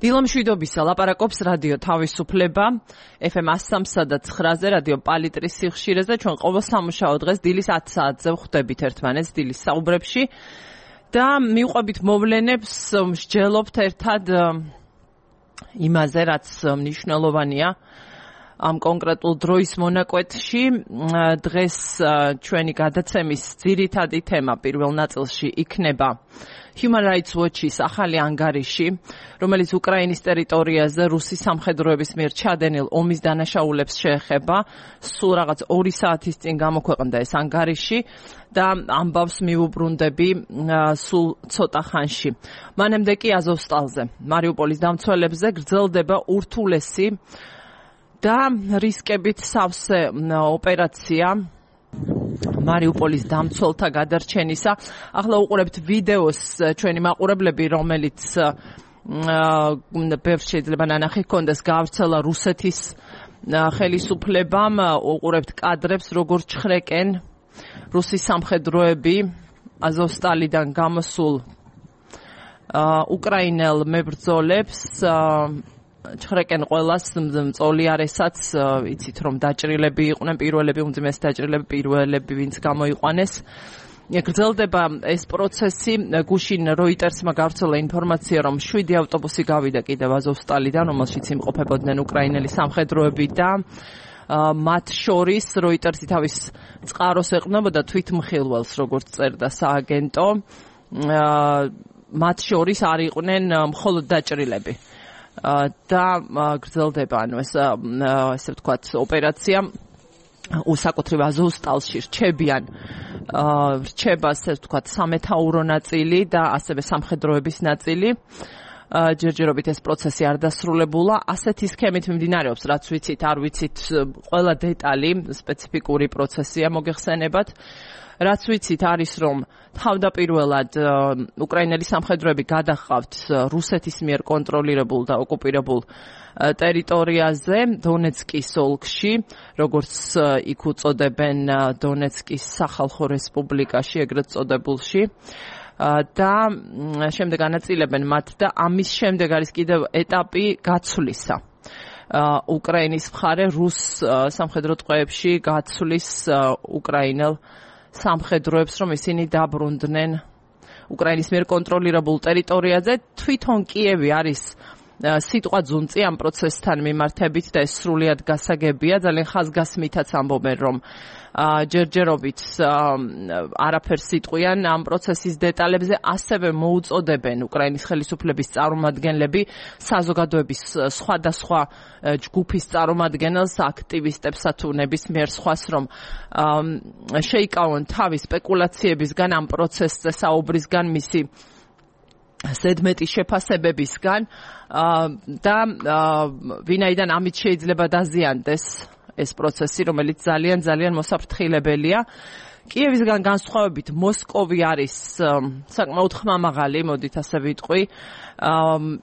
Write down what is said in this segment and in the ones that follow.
დილამშვიდობისა ლაპარაკობს რადიო თავისუფლება FM 103 და 9-ზე რადიო პალიტრის სიხშირეზე ჩვენ ყოველ სამუშაო დღეს დილის 10 საათზე ვხვდებით ერთმანეთს დილის საუბრებში და მივყვებით მოვლენებს მსჯელობთ ერთად იმაზე რაც მნიშვნელოვანია ამ კონკრეტულ დროის მონაკვეთში დღეს ჩვენი გადაცემის ძირითადი თემა პირველ ნაწილში იქნება Human Rights Watch-ის ახალი ანგარიში, რომელიც უკრაინის ტერიტორიაზე რუსის სამხედროების მიერ ჩადენილ ომის დანაშაულებს შეეხება, სულ რაღაც 2 საათის წინ გამოქვეყნდა ეს ანგარიში და ამბავს მივუბრუნდები სულ ცოტა ხანში. მანამდე კი აზოვსტალზე, მარიუპოლის დამცველებზე გრძელდება ურთულესი და რისკებით სავსე ოპერაცია მარიუპოლის დამცველთა გადარჩენისა. ახლა უყურებთ ვიდეოს ჩვენი მაყურებლები, რომელიც ბევრ შეიძლება ნანახი ჰქონდეს გავრცელა რუსეთის ხელისუფლებამ. უყურებთ კადრებს, როგორ ჩხრეკენ რუსის სამხედროები აზოვსტალიდან გამოსულ უკრაინელ მებრძოლებს. ჩხრეკენ ყველას მწოლიარესაც, იცით რომ დაჭრილები იყვნენ პირველები, უმძიმეს დაჭრილები პირველები, ვინც გამოიყვანეს. გრძელდება ეს პროცესი. გუშინ როიტერსმა გავრცელა ინფორმაცია, რომ 7 ავტობუსი გავიდა კიდევ აზოვსტალიდან, რომელშიც იმყოფებოდნენ უკრაინელი სამხედროები და მათ შორის როიტერსი თავის წყაროს ეყრდნობოდა თვითმხილველს, როგორც წერდა სააგენტო. მათ შორის არ იყვნენ მხოლოდ დაჭრილები. და გრძელდება ესე ვთქვათ ოპერაცია უსაკუთრებ აზოვსტალში რჩება ასე ვთქვათ სამეთაურო ნაწილი და ასევე სამხედროების ნაწილი. ჯერჯერობით ეს პროცესი არ დასრულებულა. ასეთი სქემით მიმდინარეობს, რაც ვიცით, არ ვიცით, ყველა დეტალი სპეციფიკური პროცესია მოგეხსენებათ. რაც ვიცით არის, რომ თავდაპირველად უკრაინელი სამხედროები გადაჰყავთ რუსეთის მიერ კონტროლირებულ და ოკუპირებულ ტერიტორიაზე, დონეცკის ოლქში, როგორც იქ უწოდებენ დონეცკის სახალხო რესპუბლიკაში, ეგრეთ წოდებულში. და შემდეგ ანაწილებენ მათ და ამის შემდეგ არის კიდევ ეტაპი გაცვლისა. უკრაინის მხარე რუს სამხედრო ტყვეებში გაცვლის უკრაინელ სამხედროებს, რომ ისინი დაბრუნდნენ უკრაინის მიერ კონტროლირებულ ტერიტორიაზე. თვითონ კიევი არის სიტყვა ძუნწი ამ პროცესთან მიმართებით და ეს სრულიად გასაგებია. ძალიან ხაზგასმითაც ამბობენ, რომ ჯერჯერობით არაფერს იტყვიან ამ პროცესის დეტალებზე. ასევე მოუწოდებენ უკრაინის ხელისუფლების წარმომადგენლები საზოგადოების სხვადასხვა ჯგუფის წარმომადგენელს, აქტივისტებსა თუ ნებისმიერ სხვას, რომ შეიკავონ თავი სპეკულაციებისგან, ამ პროცესზე საუბრისგან, მისი ზედმეტი შეფასებებისგან და ვინაიდან ამით შეიძლება დაზიანდეს ეს პროცესი, რომელიც ძალიან მოსაფრთხილებელია. კიევისგან განსხვავებით მოსკოვი არის საკმაოდ ხმამაღალი, მოდით ასე ვიტყვი.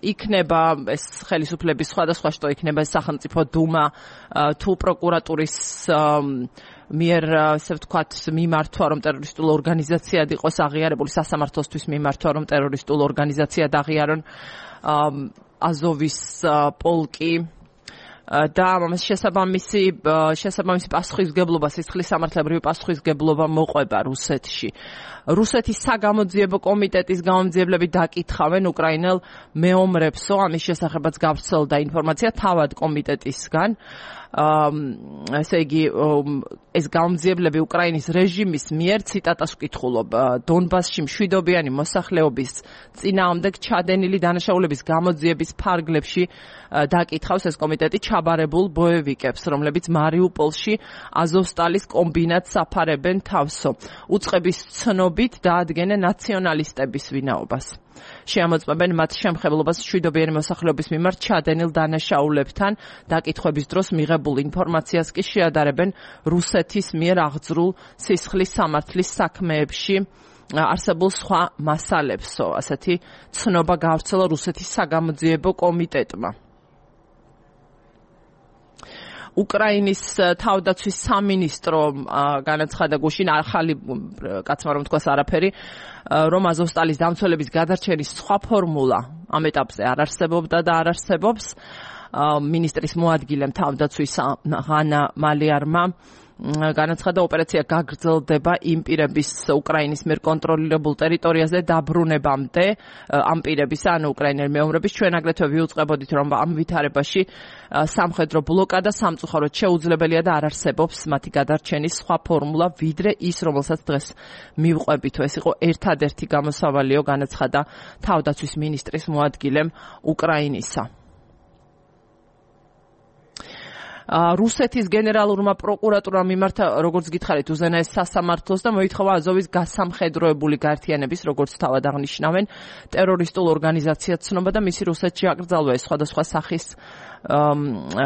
იქნება ეს ხელისუფლების სხვადასხვა შტო, იქნება ეს სახელმწიფო დუმა თუ პროკურატურის მიერ ასე ვთქვათ მიმართვა, რომ ტერორისტულ ორგანიზაციად იყოს აღიარებული, სასამართლოსთვის მიმართვა, რომ ტერორისტულ ორგანიზაციად აღიარონ აზოვის პოლკი და ამას შესაბამისი პასუხისგებლობა, სისხლის სამართლებრივი პასუხისგებლობა მოყვება რუსეთში. რუსეთის საგამოძიებო კომიტეტის გამომძიებლები დაკითხავენ უკრაინელ მეომრებსო, ამის შესახებაც გავრცელდა ინფორმაცია თავად კომიტეტისგან. ესე იგი, ეს გამომძიებლები უკრაინის რეჟიმის მიერ, ციტატას ვკითხულობ, დონბასში მშვიდობიანი მოსახლეობის წინააღმდეგ ჩადენილი დანაშაულების გამოძიების ფარგლებში დაკითხავს ეს კომიტეტი ჩაბარებულ ბოევიკებს, რომლებიც მარიუპოლში აზოვსტალის კომბინატს აფარებენ თავსო. უწყების ცნობით დაადგენენ ნაციონალისტების ვინაობას. შეამოწმებენ მათ შემხებლობას მშვიდობიანი მოსახლეობის მიმართ ჩადენილ დანაშაულებთან. დაკითხვების დროს მიღებულ ინფორმაციას კი შეადარებენ რუსეთის მიერ აღძრულ სისხლის სამართლის საქმეებში არსებულ სხვა მასალებსო. ასეთი ცნობა გავრცელა რუსეთის საგამოძიებო კომიტეტმა. უკრაინის თავდაცვის სამინისტრო განაცხადა გუშინ ახალი კაცმა რომ თქვას არაფერი, რომ აზოვსტალის დამცველების გადარჩენის სხვა ფორმულა ამ ეტაპზე არ არსებობდა და არ არსებობს. მინისტრის მოადგილემ თავდაცვის ღანა მალიარმა განაცხადა, ოპერაცია გაგრძელდება იმ პირების უკრაინის მიერ კონტროლირებულ ტერიტორიაზე დაბრუნებამდე, ამ პირების, ანუ უკრაინელი მეომრების. ჩვენ აგრეთვე ვიუწყებოდით, რომ ამ ვითარებაში სამხედრო ბლოკადა სამწუხაროდ შეუძლებელია და არ არსებობს მათი გადარჩენის სხვა ფორმულა, ვიდრე ის, რომელსაც დღეს მივყვებით. ეს იყო ერთადერთი გამოსავალიო, განაცხადა თავდაცვის მინისტრის მოადგილემ უკრაინისა. რუსეთის გენერალურმა პროკურატურამ მიმართა, როგორც გითხარით, უზენაეს სასამართლოს და მოითხოვა აზოვის გასამხედროებული გაერთიანების, როგორც თავად აღნიშნავენ, ტერორისტულ ორგანიზაციად ცნობა და მისი რუსეთში აკრძალვა სხვადასხვა სახის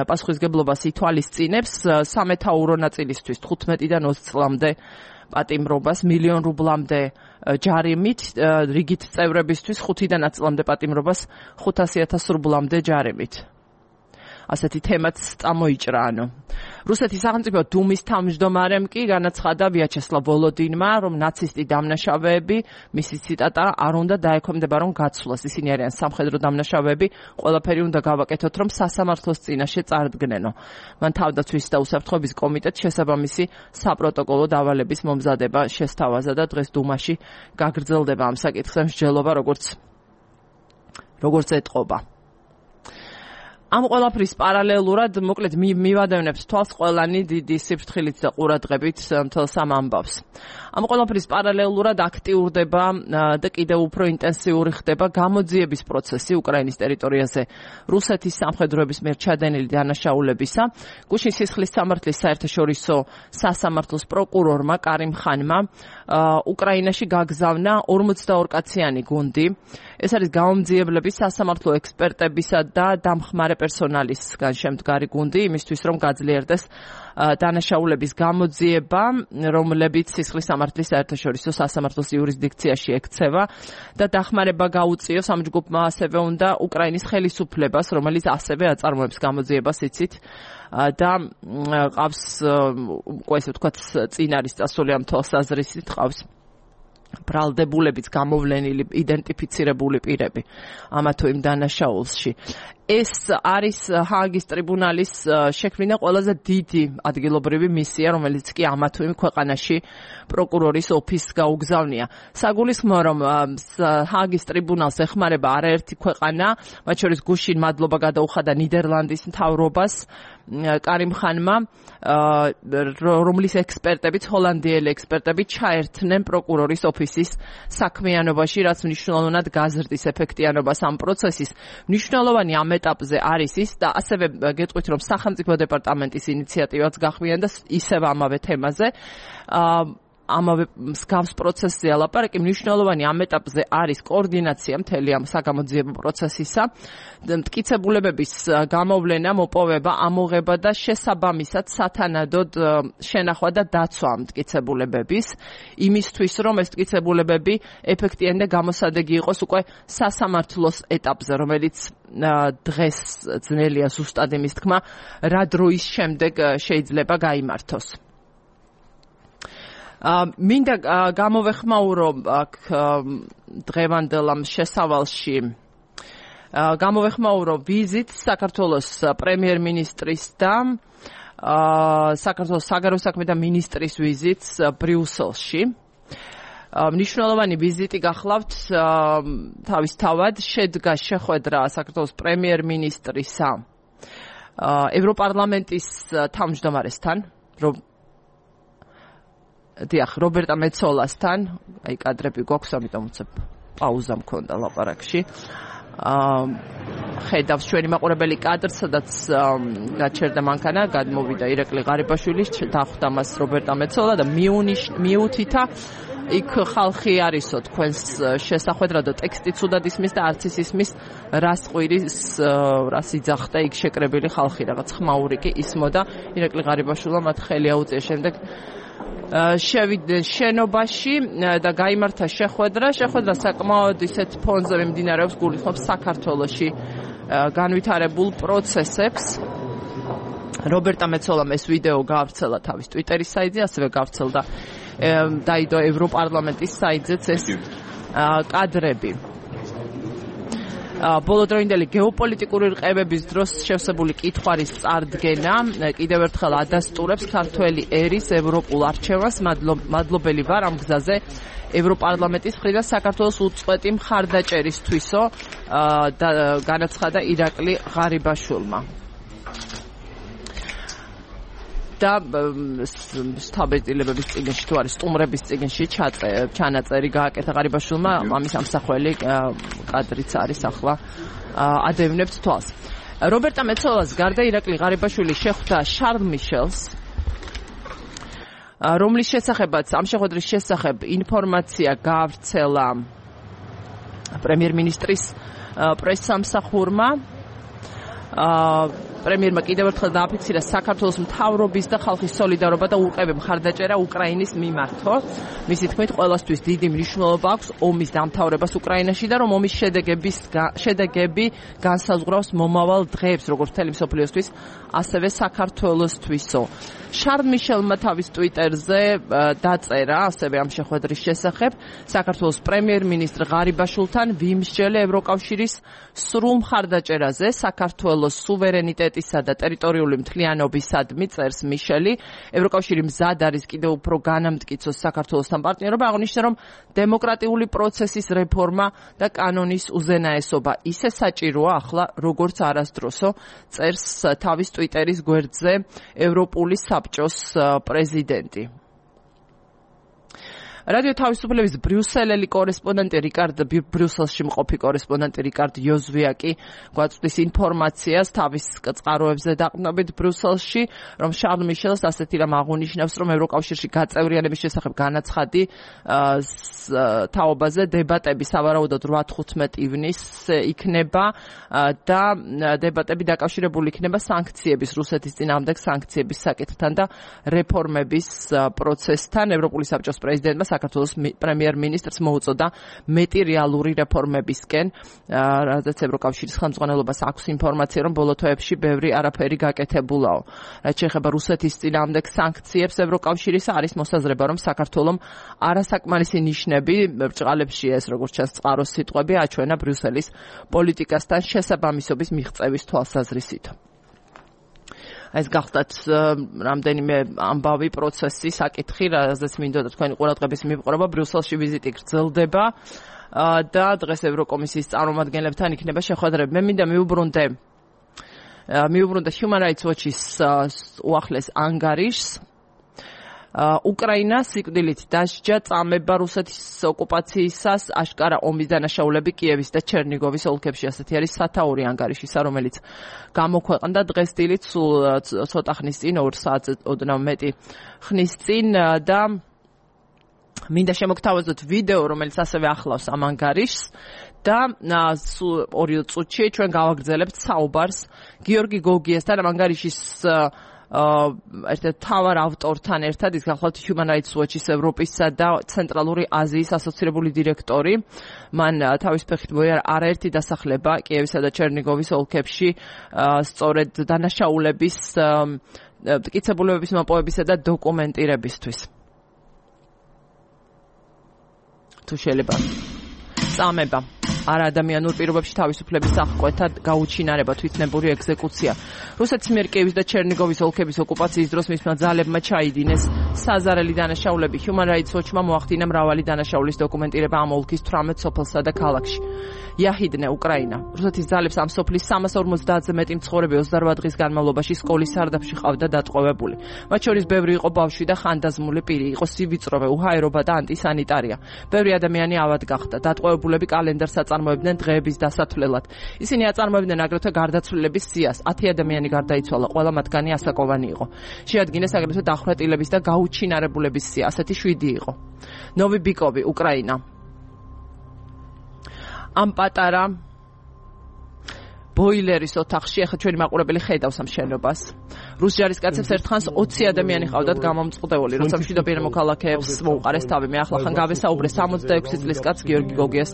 პასუხისგებლობას ითვალისწინებს. სამეთაურო ნაწილისთვის 15-დან 20 წლამდე პატიმრობას, $1,000,000 რუბლამდე ჯარიმით, რიგით წევრებისთვის 5-დან 10 წლამდე პატიმრობას, $500,000 რუბლამდე ჯარიმით. ასეთი თემაც წამოიჭრა. რუსეთის სახელმწიფო დუმის თავმჯდომარემ კი განაცხადა ვიაჩესლავ ვოლოდინმა, რომ ნაცისტი დამნაშავეები, მისი ციტატა, არ უნდა დაექვემდება რომ გაცვლას. ისინი არიან სამხედრო დამნაშავეები, ყველაფერი უნდა გავაკეთოთ, რომ სასამართლოს წინაშე წარდგნენო. მან თავდაცვის და უსაფრთხოების კომიტეტს შესაბამისი საპროტოკოლო დავალების მომზადება შესთავაზა და დღეს დუმაში გაგრძელდება ამ საკითხზე მსჯელობა, როგორც ეტყობა. ამ ყველაფრის პარალელურად, მოკლედ მივადევნებთ თვალს ყველანი დიდი სიფრთხილით და ყურადღებით მთელს ამ ამბავს. ამ ყველაფრის პარალელურად აქტიურდება და კიდევ უფრო ინტენსიური ხდება გამოძიების პროცესი უკრაინის ტერიტორიაზე რუსეთის სამხედროების მიერ ჩადენილი დანაშაულებისა. გუშინ სისხლის სამართლის საერთაშორისო სასამართლოს პროკურორმა კარიმ ხანმა უკრაინაში გაგზავნა 42 კაციანი გუნდი. ეს არის გამომძიებლების, სასამართლო ექსპერტებისა და დამხმარე პერსონალისგან შემდგარი გუნდი, იმისთვის რომ გაძლიერდეს დანაშაულების გამოძიება, რომლებიც სისხლის სამართლის საერთაშორისო სასამართლოს იურისდიქციაში ექცევა და დახმარება გაუწიოს ამ ჯგუფმა ასევე უნდა უკრაინის ხელისუფლებას, რომელიც ასევე აწარმოებს გამოძიებას, იცით, და ყავს უკვე ესე ვთქვათ წინ არის წასული ამ თვალსაზრისით, ყავს ბრალდებულებიც გამოვლენილი, იდენტიფიცირებული პირები ამა თუ იმ დანაშაულში. ეს არის ჰააგის ტრიბუნალის შექმნა ყველაზე დიდი ადგილობრივი მისია, რომელიც კი ამა თუ იმ ქვეყანაში პროკურორის ოფისს გაუგზავნია. საგულისხმოა, რომ ჰააგის ტრიბუნალს ეხმარება არაერთი ქვეყანა, მათ შორის გუშინ მადლობა გადაუხადა ნიდერლანდის მთავრობას კარიმ ხანმა, რომლის ექსპერტებიც, ჰოლანდიელი ექსპერტები ჩაერთნენ პროკურორის ოფისის საქმიანობაში, რაც მნიშვნელოვნად გაზრდის ეფექტიანობას ამ პროცესის. მნიშვნელოვანი ამ ეტაპზე არის ის და ასევე გეტყვით, რომ სახელმწიფო დეპარტამენტის ინიციატივაც გახვიან და ისევ ამავე თემაზე, ამავე მსგავს პროცესზე ლაპარაკი. მნიშვნელოვანი ამ ეტაპზე არის კოორდინაცია მთელი ამ საგამოძიებო პროცესისა, მტკიცებულებების გამოვლენა, მოპოვება, ამოღება და შესაბამისად სათანადოდ შენახვა და დაცვა მტკიცებულებების, იმისთვის რომ ეს მტკიცებულებები ეფექტიანი და გამოსადეგი იყოს უკვე სასამართლოს ეტაპზე, რომელიც დღეს ძნელია ზუსტად იმის თქმა, რა დროის შემდეგ შეიძლება გაიმართოს. მინდა გამოვეხმაურო აქ დღევანდელ ამ შესავალში გამოვეხმაურო ვიზიტს საქართველოს პრემიერ-მინისტრის და საქართველოს საგარეო საქმეთა მინისტრის ვიზიტს ბრიუსელში. მნიშვნელოვანი ვიზიტი გახლავთ თავისთავად შედგა შეხვედრა საქართველოს პრემიერ-მინისტრისა ევროპარლამენტის თავმჯდომარესთან, დიახ, რობერტა მეცოლასთან, აი კადრები გვაქვს, ამიტომ უცებ პაუზა მქონდა ლაპარაკში. ხედავს ჩვენი მაყურებელი კადრს, სადაც გაჩერდა მანქანა, გადმოვიდა ირაკლი ღარიბაშვილი, დახვდა მას რობერტა მეცოლა და მიუთითა იქ ხალხი არისო თქვენს შესახვედრად და ტექსტიც უდად ისმის და არც ის ისმის რას ყვირის, რას იძახდა იქ შეკრებილი ხალხი, რაღაც ხმაური კი ისმოდა. ირაკლი ღარიბაშვილმა მათ ხელი აუწია შემდეგ შევიდნენ შენობაში და გაიმართა შეხვედრა საკმაოდ ისეთ ფონზე მიმდინარეობს, გულისხმობს საქართველოში განვითარებულ პროცესებს. რობერტა მეცოლამ ეს ვიდეო გაავრცელა თავის ტვიტერის საიტზე, ასევე გაავრცელდა დაიდო ევროპარლამენტის საიტზეც ეს კადრები. ბოლოდროინდელი გეოპოლიტიკური რყევების დროს შევსებული კითხვარის წარდგენა კიდევ ერთხელ ადასტურებს ქართველი ერის ევროპულ არჩევანს. მადლობელი ვარ ამ გზაზე ევროპარლამენტის მხრიდან საქართველოს უწყვეტი მხარდაჭერისთვისო განაცხადა ირაკლი ღარიბაშვილმა. და სთაბეტილებების წიგნში თუ არის სტუმრების წიგნში ჩანაწერი გააკეთა ღარიბაშვილმა, ამის ამსახველი კადრიც არის ახლა ადევნებთ თვალს. რობერტა მეცოლას გარდა ირაკლი ღარიბაშვილი შეხვდა შარლ მიშელს, რომლის შესახებაც ამ შეხვედრის შესახებ ინფორმაცია გაავრცელა პრემიერ-მინისტრის პრესსამსახურმა. პრემიერმა კიდევ ერთხელ დააფიქსირა საქართველოს მთავრობის და ხალხის სოლიდარობა და ურყევი მხარდაჭერა უკრაინის მიმართო. მისი თქმით, ყველასთვის დიდი მნიშვნელობა აქვს ომის დამთავრებას უკრაინაში და რომ ომის შედეგები განსაზღვრავს მომავალ დღეებს, როგორც მთელი მსოფლიოსთვის, ასევე საქართველოსთვისო. შარლ მიშელმა თავის ტვიტერზე დაწერა ასევე ამ შეხვედრის შესახებ საქართველოს პრემიერ-მინისტრ ღარიბაშვილთან ვიმსჯელე ევროკავშირის სრულ მხარდაჭერაზე საქართველოს სუვერენიტეტისა და ტერიტორიული მთლიანობისადმი წერს მიშელი. ევროკავშირი მზად არის კიდევ უფრო განამტკიცოს საქართველოსთან პარტნიორობა, აღნიშნა რომ დემოკრატიული პროცესის რეფორმა და კანონის უზენაესობა ისე საჭიროა ახლა როგორც არასდროსო, წერს თავის ტვიტერის გვერდზე ევროპული საბჭოს პრეზიდენტი. რადიო თავისუფლების ბრიუსელელი კორესპონდენტი ბრიუსელში მყოფი კორესპონდენტი რიკარდ იოზვიაკი გვაწვდის ინფორმაციას თავის წყაროებზე დაყრდნობით ბრიუსელში, რომ შარლ მიშელს ასეთი რამ აღუნიშნავს, რომ ევროკავშირში გაწევრიანების შესახებ განაცხადი თაობაზე დებატები სავარაუდოდ 8-15 ივნისს იქნება და დებატები დაკავშირებული იქნება სანქციების, რუსეთის წინააღმდეგ სანქციების საკითხთან და რეფორმების პროცესთან. ევროპული საბჭოს პრეზიდენტმა საქართველოს პრემიერ-მინისტრს მოუწოდა მეტი რეალური რეფორმებისკენ, რადგან ევროკავშირის ხელმძღვანელობას აქვს ინფორმაცია, რომ ბოლო თვეებში ბევრი არაფერი გაკეთებულაო. რაც შეეხება რუსეთის წინააღმდეგ სანქციებს, ევროკავშირის არის მოსაზრება, რომ საქართველომ არასაკმარისი ნიშნები ბრჭყალებში ეს როგორც ჩანს წყაროს სიტყვები აჩვენა ბრიუსელის პოლიტიკასთან შესაბამისობის მიღწევის თვალსაზრისით. ეს გახდათ რამდენიმე ამბავი პროცესი, საკითხი, რაზეც მინდოდა თქვენი ყურადღების მიპყრობა. ბრიუსელში ვიზიტი გრძელდება და დღეს ევროკომისიის წარმომადგენლებთან იქნება შეხვედრები. მე მინდა მიუბრუნდე Human Rights Watch-ის უახლეს ანგარიშს. უკრაინა სიკვდილით დასჯა წამება რუსეთის ოკუპაციისას აშკარა ომის დანაშაულები კიევის და ჩერნიგოვის ოლქებში. ასეთი არის სათაური ანგარიშისა, რომელიც გამოქვეყნდა დღეს დილით, სულ ცოტა ხნის წინ, 2 საათზე ოდნავ მეტი ხნის წინ და მინდა შემოგთავაზოთ ვიდეო, რომელიც ასევე ახლავს ამ ანგარიშს და სულ 2 წუთში ჩვენ გავაგრძელებთ საუბარს გიორგი გოგიასთან ამ ანგარიშის ერთ-ერთ თავარ ავტორთან ერთად. ის გახლავთ Human Rights Watch-ის ევროპისა და ცენტრალური აზიის ასოცირებული დირექტორი. მან თავის ფეხით მოიარა არაერთი დასახლება კიევისა და ჩერნიგოვის ოლქებში სწორედ დანაშაულების, მტკიცებულებების მოპოვებისა და დოკუმენტირებისთვის. თუ შეიძლება წამება არაადამიანურ პირობებში თავისუფლების აღკვეთა, გაუჩინარება, თვითნებური ეგზეკუცია. რუსეთის მიერ კიევის და ჩერნიგოვის ოლქების ოკუპაციის დროს მისმა ძალებმა ჩაიდინეს საზარელი დანაშაულები. Human Rights Watch-მა მოახდინა მრავალი დანაშაულის დოკუმენტირება ამ ოლქის 18 სოფელსა და ქალაქში. იაჰიდნე, უკრაინა. რუსეთის ძალებს ამ სოფლის 350-ზე მეტი მცხოვრები 28 დღის განმავლობაში სკოლის სარდაფში ყავდა დატყვევებული. მათ შორის ბევრი იყო ბავშვი და ხანდაზმული პირი, იყო სივიწროვე, უჰაერობა და ანტისანიტარია. ბევრი ადამიანი ავად გახდა. დატყვევებულები კალენდარს აწარმოებდნენ დღეების დასათვლელად. ისინი აწარმოებდნენ აგრეთვე გარდაცვლილების სიას. 10 ადამიანი გარდაიცვალა, ყველა მათგანი ასაკოვანი იყო. შეადგინეს აგრეთვე დახვრეტილების და გაუჩინარებულების სია, ასეთი 7 იყო. ნოვი ბიკოვი, უკრაინა. ამ პატარა ბოილერის ოთახში ახლა ჩვენი მაყურებელი ხედავს ამ შენობას. რუს ჯარისკაცებს ერთხანს 20 ადამიანი ყავდათ გამომწყდეული, როცა მშვიდობიან მოქალაქეებს მოუყარეს თავი. მე ახლა ხან გავესაუბრე 66 წლის კაცს გიორგი გოგიას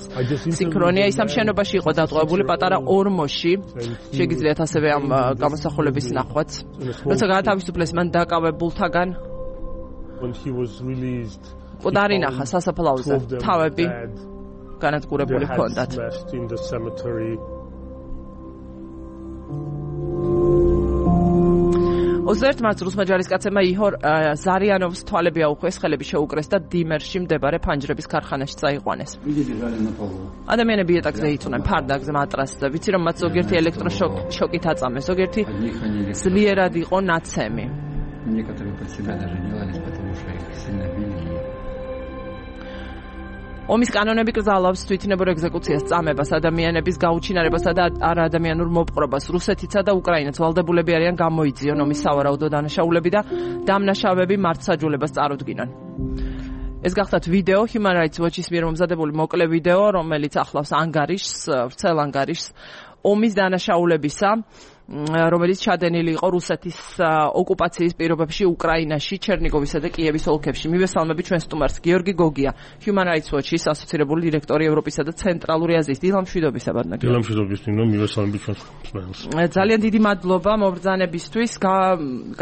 სინქრონია. ის ამ შენობაში იყო დატყვევებული პატარა ორმოში. შეგიძლიათ ასევე ამ გამოსახულების ნახვაც. როცა გაათავისუფლეს მან დაკავებულთაგან დარინახა სასაფლაოზე თავები განადგურებული ჰქონდათ. 21 მარტს რუსმა ჯარისკაცებმა იჰორ ზარიანოვს თვალები აუხვეს, ხელები შეუკრეს და დიმერში მდებარე ფანჯრების ქარხანაში წაიყვანეს. ადამიანები ეტაკზე ითუნენ ფარდაგზე მატრასზე, ვიცი რომ მათ ზოგიერთი ელექტროშოკით აწამეს, ზოგიერთი ძლიერად იყო ნაცემი. ომის კანონები კრძალავს თვითნებურ ეგზეკუციას, წამებას, ადამიანების გაუჩინარებასა და არაადამიანურ მოპყრობას. რუსეთიცა და უკრაინაც ვალდებულები არიან გამოიძიონ ომის სავარაუდო დანაშაულები და დამნაშავეები მართლმსაჯულებას წარუდგინონ. ეს გახლავთ ვიდეო Human Rights Watch-ის მიერ მომზადებული მოკლე ვიდეო, რომელიც ახლავს ანგარიშს, ვრცელ ანგარიშს ომის დანაშაულებისა, რომელიც ჩადენილი იყო რუსეთის ოკუპაციის პირობებში უკრაინაში, ჩერნიგოვისა და კიევის ოლქებში. მივესალმები ჩვენ სტუმარს გიორგი გოგია, Human Rights Watch-ის ასოცირებული დირექტორი ევროპისა და ცენტრალური აზიის. დილამშვიდობისა ბატონო. დილამშვიდობის, მივესალმები ჩვენ სტუმარს. ძალიან დიდი მადლობა მობრძანებისთვის.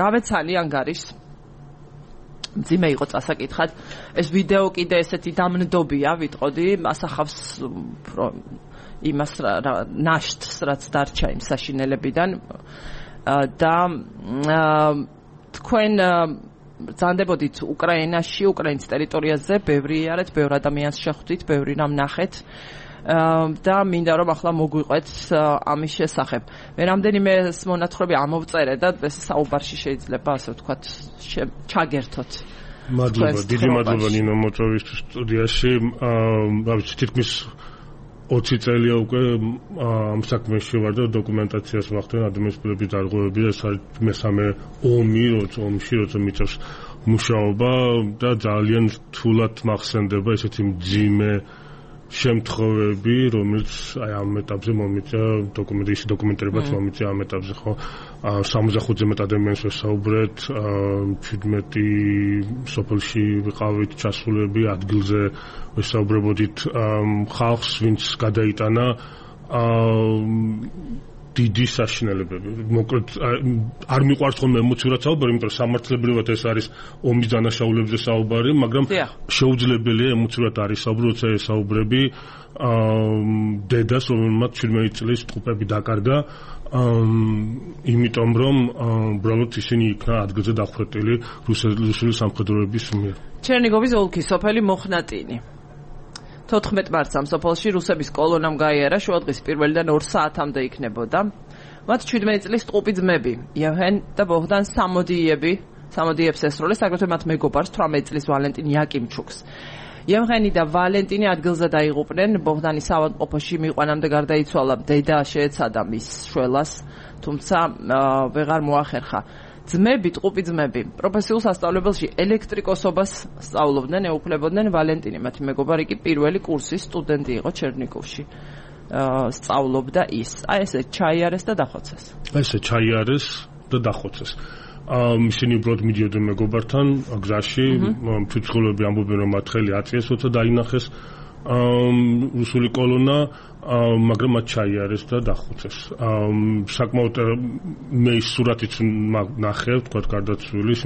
გავეცანი ანგარიშს. ძიმე იყო წასაკითხად. ეს ვიდეო კიდე ესეთი დამნდობია, ვიტყოდი, ასახავს იმას ნაშთს, რაც დარჩა იმ საშინელებიდან და თქვენ ბრძანდებოდით უკრაინაში, უკრაინის ტერიტორიაზე, ბევრი იარეთ, ბევრ ადამიანს შეხვდით, ბევრი რამ ნახეთ და მინდა რომ ახლა მოგვიყვეთ ამის შესახებ. მე რამდენიმე მონათხრობი ამოვწერე და ეს საუბარში შეიძლება ასე ვთქვათ ჩაგერთოთ. მადლობა, დიდი მადლობა ნინო მოწვევისთვის სტუდიაში. თითქმის 20 წელია უკვე ამ საქმეში ვარ და დოკუმენტაციას ვახდენ ადამიანის პირების დარღვევები და ეს არის მესამე ომში, როცა მიწევს მუშაობა და ძალიან რთულად მახსენდება ესეთი მძიმე შემთხვევები, რომელიც აი ამ ეტაპზე მომიწია დოკუმენტირებაც მომიწია ამ ეტაპზე, ხო? 65-ზე მეტ ადამიანს ვესაუბრეთ, 17 სოფელში ვიყავით ჩასულები, ადგილზე ვესაუბრებოდით ხალხს, ვინც გადაიტანა დიდი საშინელებები. მოკლედ არ მიყვარს ხოლმე ემოციურად საუბარი, იმიტომ რომ სამართლებრივად ეს არის ომის დანაშაულებზე საუბარი, მაგრამ შეუძლებელია ემოციურად არის საუბარი, როცა ესაუბრები დედას, რომელმაც 17 წლის ტყუპები დაკარგა, იმიტომ რომ უბრალოდ ისინი იქნა ადგილზე დახვრეტილი რუსული სამხედროების მიერ. ჩერნიგოვის ოლქის სოფელი მოხნატინი. 14 მარტს ამ სოფელში რუსების კოლონამ გაიარა, შუადღის 1-დან 2 საათამდე იქნებოდა. მათ 17 წლის ტყუპი ძმები, იევგენ და ბოგდან სამოდიებს ესროლეს, აგრეთვე მათ მეგობარს 18 წლის ვალენტინ იაკიმჩუკს. იევგენი და ვალენტინი ადგილზე დაიღუპნენ, ბოგდანის ავადმყოფოში მიყვანამდე გარდაიცვალა, დედა შეეცადა მის შველას, თუმცა ვეღარ მოახერხა. ტყუპი ძმები პროფესიულ სასწავლებელში ელექტრიკოსობას სწავლობდნენ, ეუფლებოდნენ. ვალენტინი, მათი მეგობარი კი პირველი კურსის სტუდენტი იყო ჩერნიგოვში. სწავლობდა ის. აი ესე ჩაიარეს და დახოცეს. ისინი უბრალოდ მიდიოდნენ მეგობართან გზაში, ცუცხლები ამბობენ რომ მათ ხელი აწიეს, როცა დაინახეს რუსული კოლონა, მაგრამ მათ ჩაიარეს და დახოცეს. საკმაოდ მე ის სურათიც ნახე, თქვა გარდაცვლილის,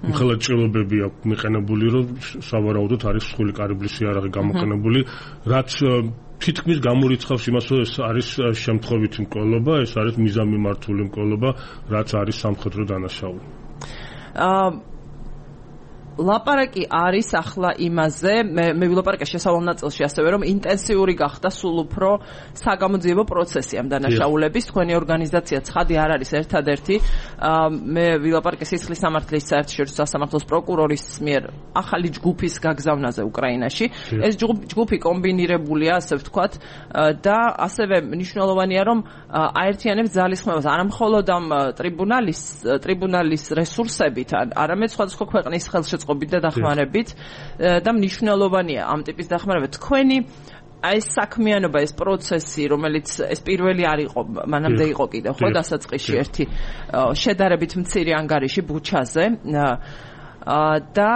მხოლოდ ჭრილობები აქვს მიყენებული, რომ სავარაუდოდ არის მსხვილი კარიბლის იარაღი გამოყენებული, რაც თითქმის გამორიცხავს იმას, რომ ეს არის შემთხვევითი მკვლელობა, ეს არის მიზანმიმართული მკვლელობა, რაც არის სამხედრო დანაშაული. ლაპარაკი არის ახლა იმაზე, მე ვილაპარაკე შესავალ ნაწილში ასევე, რომ ინტენსიური გახდა სულ უფრო საგამოძიებო პროცესი ამ დანაშაულების. თქვენი ორგანიზაცია ცხადი არ არის ერთადერთი. მე ვილაპარაკე სისხლის სამართლის საერთაშორისო სასამართლოს პროკურორის მიერ ახალი ჯგუფის გაგზავნაზე უკრაინაში. ეს ჯგუფი კომბინირებულია, ასე ვთქვათ, და ასევე მნიშვნელოვანია, რომ აერთიანებს ძალისხმევას არა მხოლოდ ამ ტრიბუნალის რესურსებით, არამედ სხვადასხვა ქვეყნის ხელშეწყობით და დახმარებით და მნიშვნელოვანია ამ ტიპის დახმარება. თქვენი ეს საქმიანობა, ეს პროცესი, რომელიც ეს პირველი არ იყო, მანამდე იყო კიდევ, ხო, დასაწყისში ერთი შედარებით მცირე ანგარიში ბუჩაზე და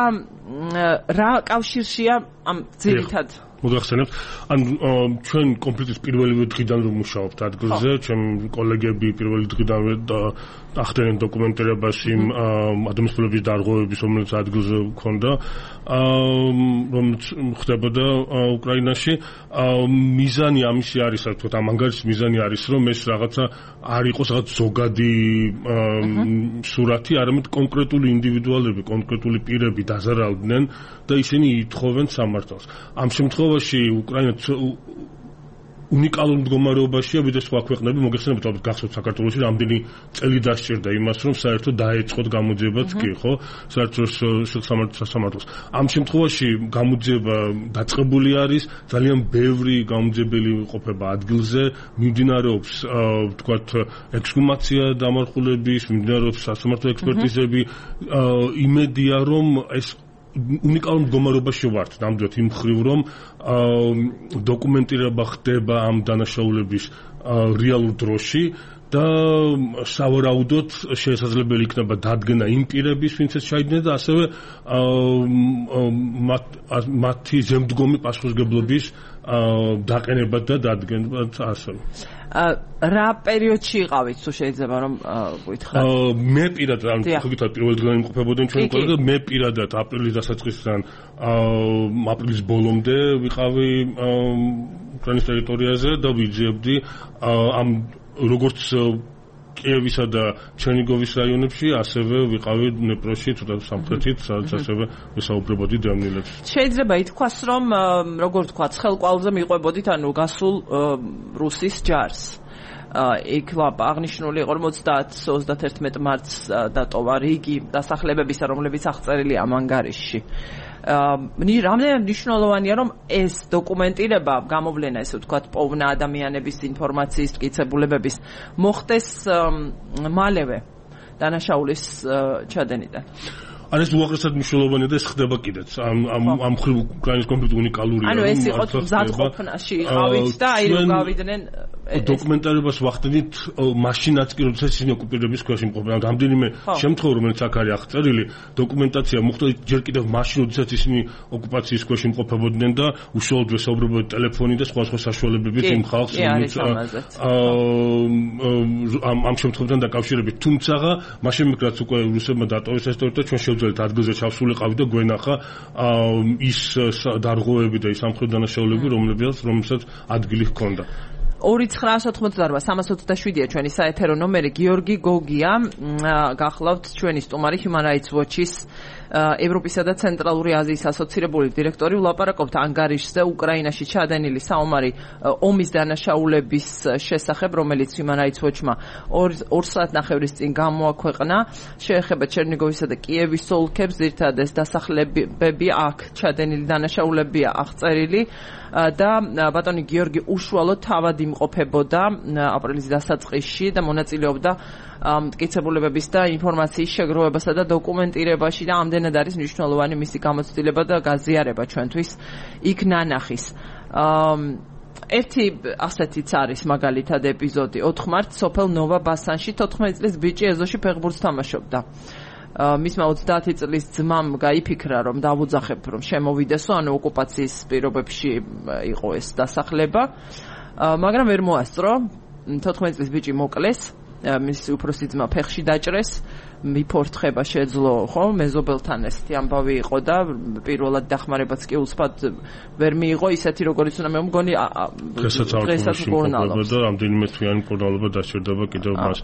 რა კავშირშია ამ ძირითად მოგახსენებთ, ჩვენ კონფლიქტის პირველივე დღიდან რომ მუშაობთ ადგილზე, ჩემი კოლეგები პირველი დღიდან ახდენენ დოკუმენტირებაში ადამიანის დარღვევების რომელიც ადგილზე ქონდა რომელიც ხდებოდა უკრაინაში მიზანი ამისი არის თქო ამ ანგარიშის მიზანი არის რომ ეს რაღაცა არ იყოს რაღაც ზოგადი სურათი არამედ კონკრეტული ინდივიდუალები კონკრეტული პირები დაზარალდნენ და ისინი ითხოვენ სამართალს ამ შემთხვევაში უკრაინა უნიკალურ მდგომარეობაშია ვიდრე სხვა ქვეყნები მოგეხსენებათ ალბათ გახსოვთ საქართველოში რამდენი წელი დასჭირდა იმას რომ საერთოდ დაეწყოთ გამოძიებაც კი ხო საერთოდ სამართალს ამ შემთხვევაში გამოძიება დაწყებული არის ძალიან ბევრი გამოძიებელი ყოფება ადგილზე მიმდინარეობს ვთქვათ ექსჰუმაცია დამარხულების მიმდინარეობს სასამართლო ექსპერტიზები იმედია რომ ეს უნიკალურ მდგომარეობაში ვართ ნამდვილად იმ მხრივ რომ დოკუმენტირება ხდება ამ დანაშაულების რეალურ დროში და სავარაუდოდ შესაძლებელი იქნება დადგენა იმ პირების ვინც ეს ჩაიდნენ და ასევე მათი ზემდგომი პასუხისმგებლობის დაყენება და დადგენა ასევე რა პერიოდში იყავით თუ შეიძლება რომ გითხრათ მე პირადად ხოგითად პირველ დღიდან იმყოფებოდნენ ჩვენ ყველა მე პირადად აპრილის დასაწყისიდან აპრილის ბოლომდე ვიყავი უკრაინის ტერიტორიაზე და ვიძიებდი ამ როგორც კიევისა და ჩერნიგოვის რაიონებში ასევე ვიყავი დნეპროში ცოტა სამხრეთით სადაც ასევე ვისაუბრებოდი დევნილებს შეიძლება ითქვას რომ როგორ თქვა ცხელყვალზე მიყვებოდით ანუ გასულ რუსის ჯარს იქ აღნიშნული იყო რომ 30-31 მარტს დატოვა რიგი დასახლებებისა რომლებიც აღწერილია ამ ანგარიშში რამდენად მნიშვნელოვანია რომ ეს დოკუმენტირება გამოვლენა ესე ვთქვათ პოვნა ადამიანების ინფორმაციის მტკიცებულებების მოხდეს მალევე დანაშაულის ჩადენიდან ეს უაღრესად მნიშვნელოვანია და ეს ხდება კიდეც ამ მხრივ უკრაინის კონფლიქტი უნიკალურია ანუ ეს იყო მზადყოფნაში იყავით და აი რომ გავიდნენ დოკუმენტირებას ვახდენით მაშინაც კი როდესაც ისინი ოკუპირების ქვეშ იმყოფებიან რამდენიმე შემთხვევა რომელიც აქ არის აღწერილი დოკუმენტაცია მოხდა ჯერ კიდევ მაშინ როდესაც ისინი ოკუპაციის ქვეშ იმყოფებოდნენ და უშუალოდ ვესაუბრებოდნენ ტელეფონით და სხვა შესაძლებლობებით იმ ხალხს ამ შემთხვევებთან დაკავშირებით თუმცა მაშინ მიგრაც უკვე რუსებმა დატოვეს ეს ტერიტორია ჩვენ შევძელით ადგილზე ჩავსულიყავით და გვენახა ის დარღვევები და ის სამხედრო დანაშაულები რომელსაც ადგილი ჰქონდა 2988-327-ია ჩვენი საეთერო ნომერი გიორგი გოგია გახლავთ ჩვენი სტუმარი Human Rights Watch-ის ევროპისა და ცენტრალური აზიის ასოცირებული დირექტორი ვლაპარაკობთ ანგარიშზე უკრაინაში ჩადენილი საომარი ომის დანაშაულების შესახებ რომელიც Human Rights Watch-მა 2 საათნახევრის წინ გამოაქვეყნა შეეხება ჩერნიგოვისა და კიევის ოლქებს ძირითადად ეს დასახლებები აქ ჩადენილი დანაშაულებია აღწერილი და ბატონი გიორგი უშუალოდ თავად იმყოფებოდა აპრილის დასაწყისში და მონაწილეობდა მტკიცებულებების და ინფორმაციის შეგროვებასა და დოკუმენტირებაში და ამდენად არის მნიშვნელოვანი მისი გამოცდილება და გაზიარება ჩვენთვის იქ ნანახის. ერთი ასეთიც არის მაგალითად ეპიზოდი 4 მარტს სოფელ ნოვა ბასანში 14 წლის ბიჭი ეზოში ფეხბურთს თამაშობდა. მისმა 30 წლის ძმამ გაიფიქრა რომ დავუძახებ რომ შემოვიდესო ანუ ოკუპაციის პირობებში იყო ეს დასახლება მაგრამ ვერ მოასწრო 14 წლის ბიჭი მოკლეს მისი უფროსი ძმა ფეხში დაჭრეს მიფორთხება შეძლო ხო მეზობელთან ესეთი ამბავი იყო და პირველად დახმარებაც კი უსფად ვერ მიიღო ისეთი როგორც უნდა მე მგონი დღესაც მკურნალობს და რამდენიმე თვიანი მკურნალობა დასჭირდება კიდევ მას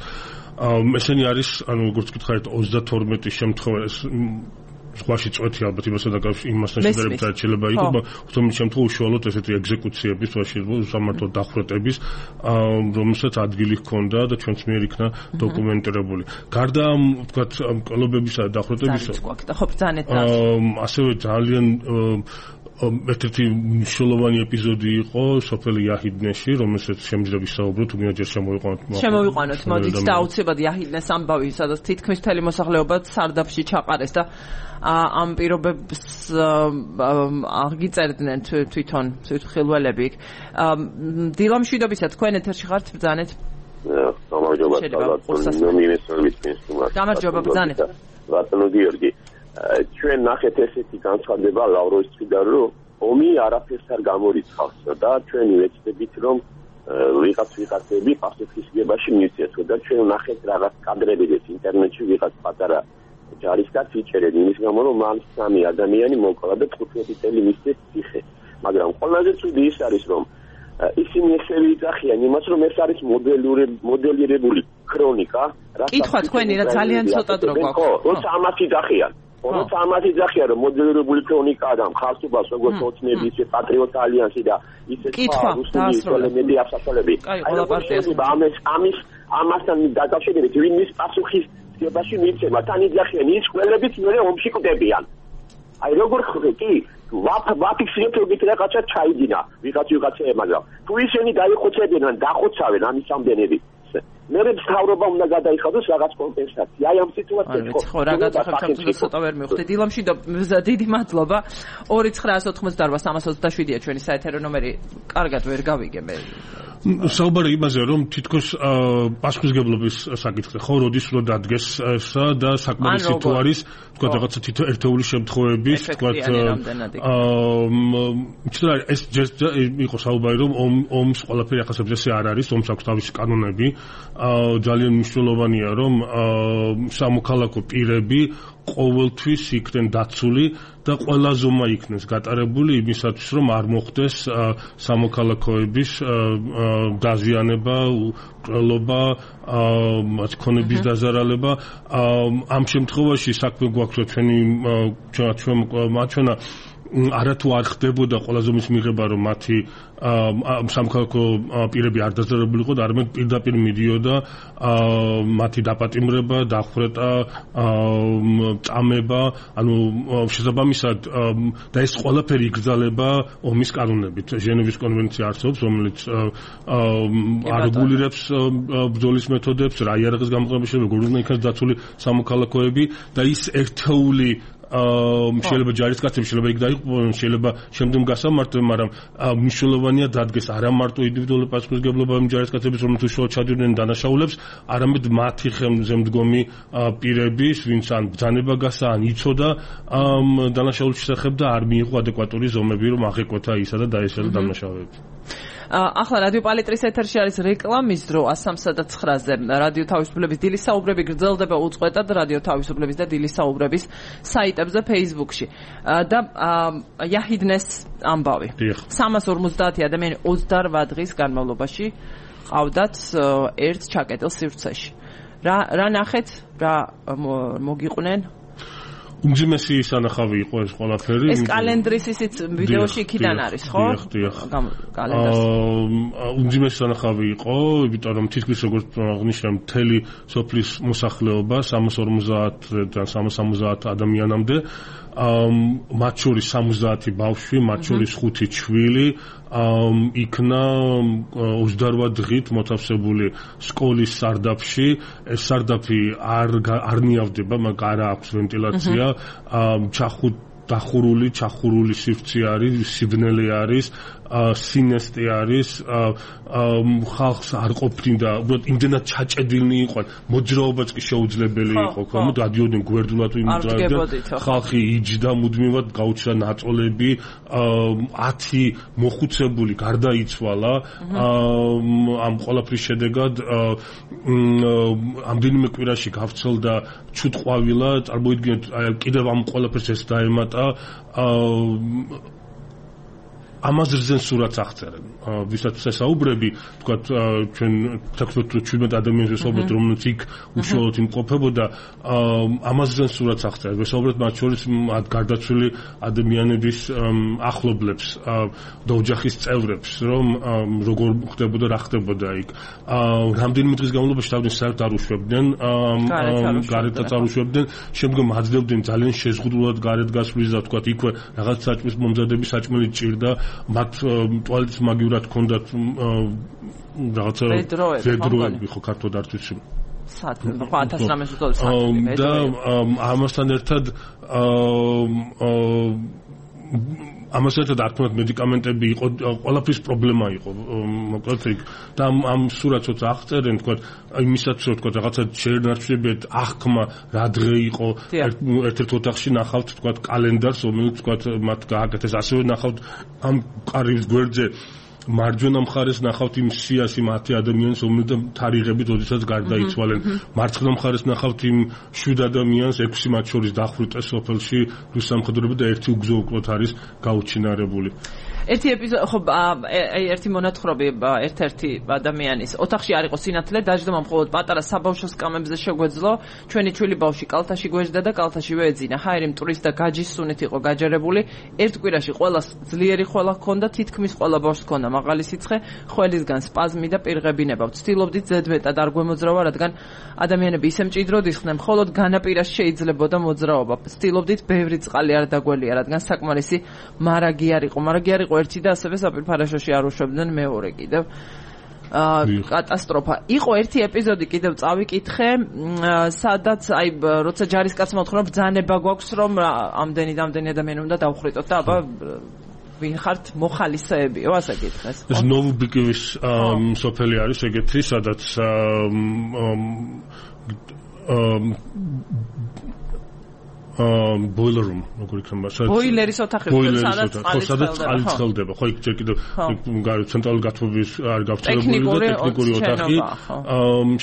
ესენი არის ანუ როგორც გითხარით 32 შემთხვევა სხვაში წვეთი ალბათ იმასთან შედარებით შეიძლება იყოს თუმცა შემთხვევა უშუალოდ ესეთი ეგზეკუციების სამართლო დახვრეტების რომელსაც ადგილი ჰქონდა და ჩვენც მიერ იქნა დოკუმენტირებული გარდა ამ ვთქვათ კლუბებისა და დახვრეტებისა ასევე ძალიან ერთ-ერთი მნიშვნელოვანი ეპიზოდი იყო სოფელ იაჰიდნეში, რომელსაც შემიძლია ვისაუბროთ, თუმცა ჯერ შემოვიყვანოთ, მოდით და აუცილებლად იაჰიდნეს ამბავი, სადაც თითქმის მთელი მოსახლეობა სარდაფში ჩაყარეს და ამ პირობებს აღიწერდნენ თვითონ ხილველები. დილამ შვიდობისა თქვენ ეთერში ხართ ბრძანეთ? გამარჯობა ბრძანეთ. ბატონო გიორგი ჩვენ ნახეთ ესეთი განცხადება ლავროვის მხრიდან რომ ომი არაფერს არ გამორიცხავს და ჩვენ ვეცდებით რომ ვიღაცები პასუხისმგებაში მივცეს და ჩვენ ვნახეთ რაღაც კადრები ინტერნეტში ვიღაც პატარა ჯარისკაცი იჭერენ იმის გამო რომ მან 3 ადამიანი მოკლა და 15 წელი მისცეს ციხე მაგრამ ყველაზე ცუდი ის არის რომ ისინი ესე ვიძახიან იმას რომ ეს არის მოდელირებული ქრონიკა კითხვა თქვენი რა ძალიან ცოტა დრო გვაქვს როცა ამას იძახიან როცა ამას იძახიან რომ მოდელირებული ქრონიკაა და მხარსობას როგორც ოცნები ისე პატრიოტ ალიანსი და ისე რუსული აფსაშოლები ამასთან დაკავშირებით ვინმის პასუხისმგებაში მიცემა თან იძახიან ის ყველებიც მე ომში კვდებიან აი როგორ ხრი ვაფიქსირებთ რაღაცა ჩაიდინა ვიღაცეებმა მაგრამ თუ ისინი დაიხოცებიან დახოცავენ ამის ამდენები მე მთავრობა უნდა გადაიხადოს რაღაც კომპენსაცია აი ამ სიტუაციებში ხო რაღაც სახელმწიფო ცოტა ვერ მივხვდით დილამში და დიდი მადლობა 2988327-ია ჩვენი საეთერო ნომერი კარგად ვერ გავიგე მე საუბარი იმაზე რომ თითქოს პასუხისმგებლობის საკითხზე ხო როდის უნდა დადგეს ესა და საკმარისი თუ არის თქვა რაღაცა თითო ერთეული შემთხვევების თქვა ეს იყო საუბარი რომ ომს ყველაფერი ახასებს ესე არ არის ომს აქვს თავისი კანონები ძალიან მნიშვნელოვანია რომ სამოქალაქო პირები ყოველთვის იქნენ დაცული და ყველა ზომა იქნეს გატარებული იმისათვის რომ არ მოხდეს სამოქალაქოების დაზიანება, უტრელობა, მათქონების დაზარალება ამ შემთხვევაში საქმე გვაქვს ჩვენ არათუ არ ხდებოდა ყველა ზომის მიღება რომ მათი სამოქალაქო პირები არ დაზარალებულიყო და არამედ პირდაპირ მიდიოდა მათი დაპატიმრება, დახვრეტა, წამება, ანუ შესაბამისად და ეს ყველაფერი იგრძალება ომის კანონებით. ჟენევის კონვენცია არსებობს, რომელიც არეგულირებს ბრძოლის მეთოდებს, რა იარაღის გამოყენების შესაძლებლობა, როგორ უნდა იქნას დაცული სამოქალაქოები და ის ერთეული შეიძლება ჯარისკაცები შეიძლება იქ დაიყო შეიძლება შემდგომ გასამართლებ მაგრამ მნიშვნელოვანია დადგეს არა მარტო ინდივიდუალური პასუხისმგებლობა იმ ჯარისკაცების რომელიც უშუალოდ ჩადიოდნენ დანაშაულებს არამედ მათი ხელმძღვანელი პირების ვინც ან ბრძანება გასა ან იცოდა დანაშაულის შესახებ და არ მიიღო ადეკვატური ზომები რომ აღეკვეთა ისა და დაეშალა დანაშაულები ახლა რადიო პალიტრის ეთერში არის რეკლამის დრო 103.9-ზე რადიო თავისუფლების დილის საუბრები გრძელდება უწყვეტად რადიო თავისუფლების და დილის საუბრების საიტებზე Facebook-ში და იაჰიდნეს ამბავი 350 ადამიანი 28 დღის განმავლობაში ყავდათ ერთ ჩაკეტილ სივრცეში რა ნახეთ რა მოგიყვნენ უმძიმესი სანახავი იყო ეს ყველაფერი. ეს კალენდრის ისიც ვიდეოში იქიდან არის, ხო? დიახ. კალენდარს. უმძიმესი სანახავი იყო, იმიტომ რომ თითქმის როგორც აღნიშნე მთელი სოფლის მოსახლეობა 350-დან 370 ადამიანამდე მათ შორის 70 ბავშვი, მათ შორის 5 ჩვილი იქნა 28 დღით მოთავსებული სკოლის სარდაფში. ეს სარდაფი არ ნიავდება, მაგრამ არა აქვს ვენტილაცია. ჩახურული სივრცე არის, სიბნელე არის, სინესტე არის, ხალხს არ ყოფნიდა, უბრალოდ იმდენად ჩაჭედილნი იყვნენ, მოძრაობაც კი შეუძლებელი იყო, ხომ? დადიოდნენ გვერდულად იმ დროიდან. ხალხი იჯდა მუდმივად, გაუჩნდა ნაწოლები, 10 მოხუცებული გარდაიცვალა ამ ყველაფრის შედეგად ამდენიმე კვირაში გავრცელდა ჩუტყვავილა, წარმოიდგინეთ, კიდევ ამ ყველაფერს ეს დაემატა ამაზე რძენ სურათს აღწერენ. ვისაც საუბრები, თქვათ, ჩვენ 17 ადამიანზე საუბრობთ, რომელიც იქ უშუალოდ იმყოფებოდა, ამაზე რძენ სურათს აღწერენ. ვესაუბრეთ მათ შორის გარდაცვლილი ადამიანების ახლობლებს და ოჯახის წევრებს, რომ როგორ ხდებოდა, რა ხდებოდა იქ. რამდენიმე დღის განმავლობაში თავიდან საერთოდ არ უშვებდნენ, გარეთაც არ უშვებდნენ, შემდგომ აძლევდნენ ძალიან შეზღუდულად გარეთ გასვლის და თქვათ, იქვე რაღაც საჭმლის მომზადების საჭმელი ჭირდა მათ ტუალეტის მაგივრად ჰქონდათ რაღაცა ვედროები ხო ქართულად არ ვიცი ხო 1900 საათი და ამასთან ერთად არ თქვათ მედიკამენტები იყო ყველაფრის პრობლემა იყო მოკლედ იქ და ამ სურათს როცა აღწერენ თქვათ იმისაც რომ თქვათ რაღაცა შეერნარჩუნებიათ აღქმა რა დღე იყო ერთ-ერთ ოთახში ნახავთ თქვათ კალენდარს რომელიც თქვათ მათ გააკეთეს ასევე ნახავთ ამ კარის გვერდზე მარჯვენა მხარეს ნახავთ იმ სიას იმ 10 ადამიანს, რომელთა თარიღებით ოდესაც გარდაიცვალენ. მარცხენა მხარეს ნახავთ იმ 7 ადამიანს, 6 მათ შორის დახვრიტეს სოფელში რუს სამხედროები და ერთი უგზო უკლოდ არის გაუჩინარებული. ერთი ეპიზოდი ხო აი ერთი მონათხრობი ერთ-ერთი ადამიანის ოთახში არ იყო სინათლე დაждდომა მხოლოდ პატარა საბავშვო სკამებზე შეგვეძლო ჩვენი ჩვილი ბავშვი კალთაში გვეждდა და კალთაშივე ეძინა ჰაერი მტვრის და გაჯის სუნით იყო გაჯერებული ერთ კვირაში ყველას ძლიერი ხვალა ჰქონდა თითქმის ყველა ბავშვს ჰქონდა მაღალი სიცხე ხველისგან სპაზმი და პირღებინება ვცდილობდით ზედმეტად არ გვემოძრავა რადგან ადამიანები ისე მჭიდროდ იხდნენ მხოლოდ განაპირას შეიძლებოდა მოძრაობა ვცდილობდით ბევრი წყალი არ დაგველია რადგან საკმარისი მარაგი არ იყო ერთი და ასევე საპირფარეშოში არ უშვებდნენ მეორე კიდევ კატასტროფა იყო ერთი ეპიზოდი კიდევ წავიკითხე სადაც აი როცა ჯარისკაცმა უთხრა ბრძანება გვაქვს რომ ამდენი ადამიანი უნდა დავხრიტოთ და აბა ვინ ხართ მოხალისეებიო ასე გითხეს ეს ნოვუბიკოვის სოფელი არის ეგეთი სადაც boiler room როგორ იქნება ბოილერის ოთახი სადაც წყალი ცხელდება ხო იქ ჯერ კიდევ ცენტრალური გათბობის არ გავრცელებული ტექნიკური ოთახი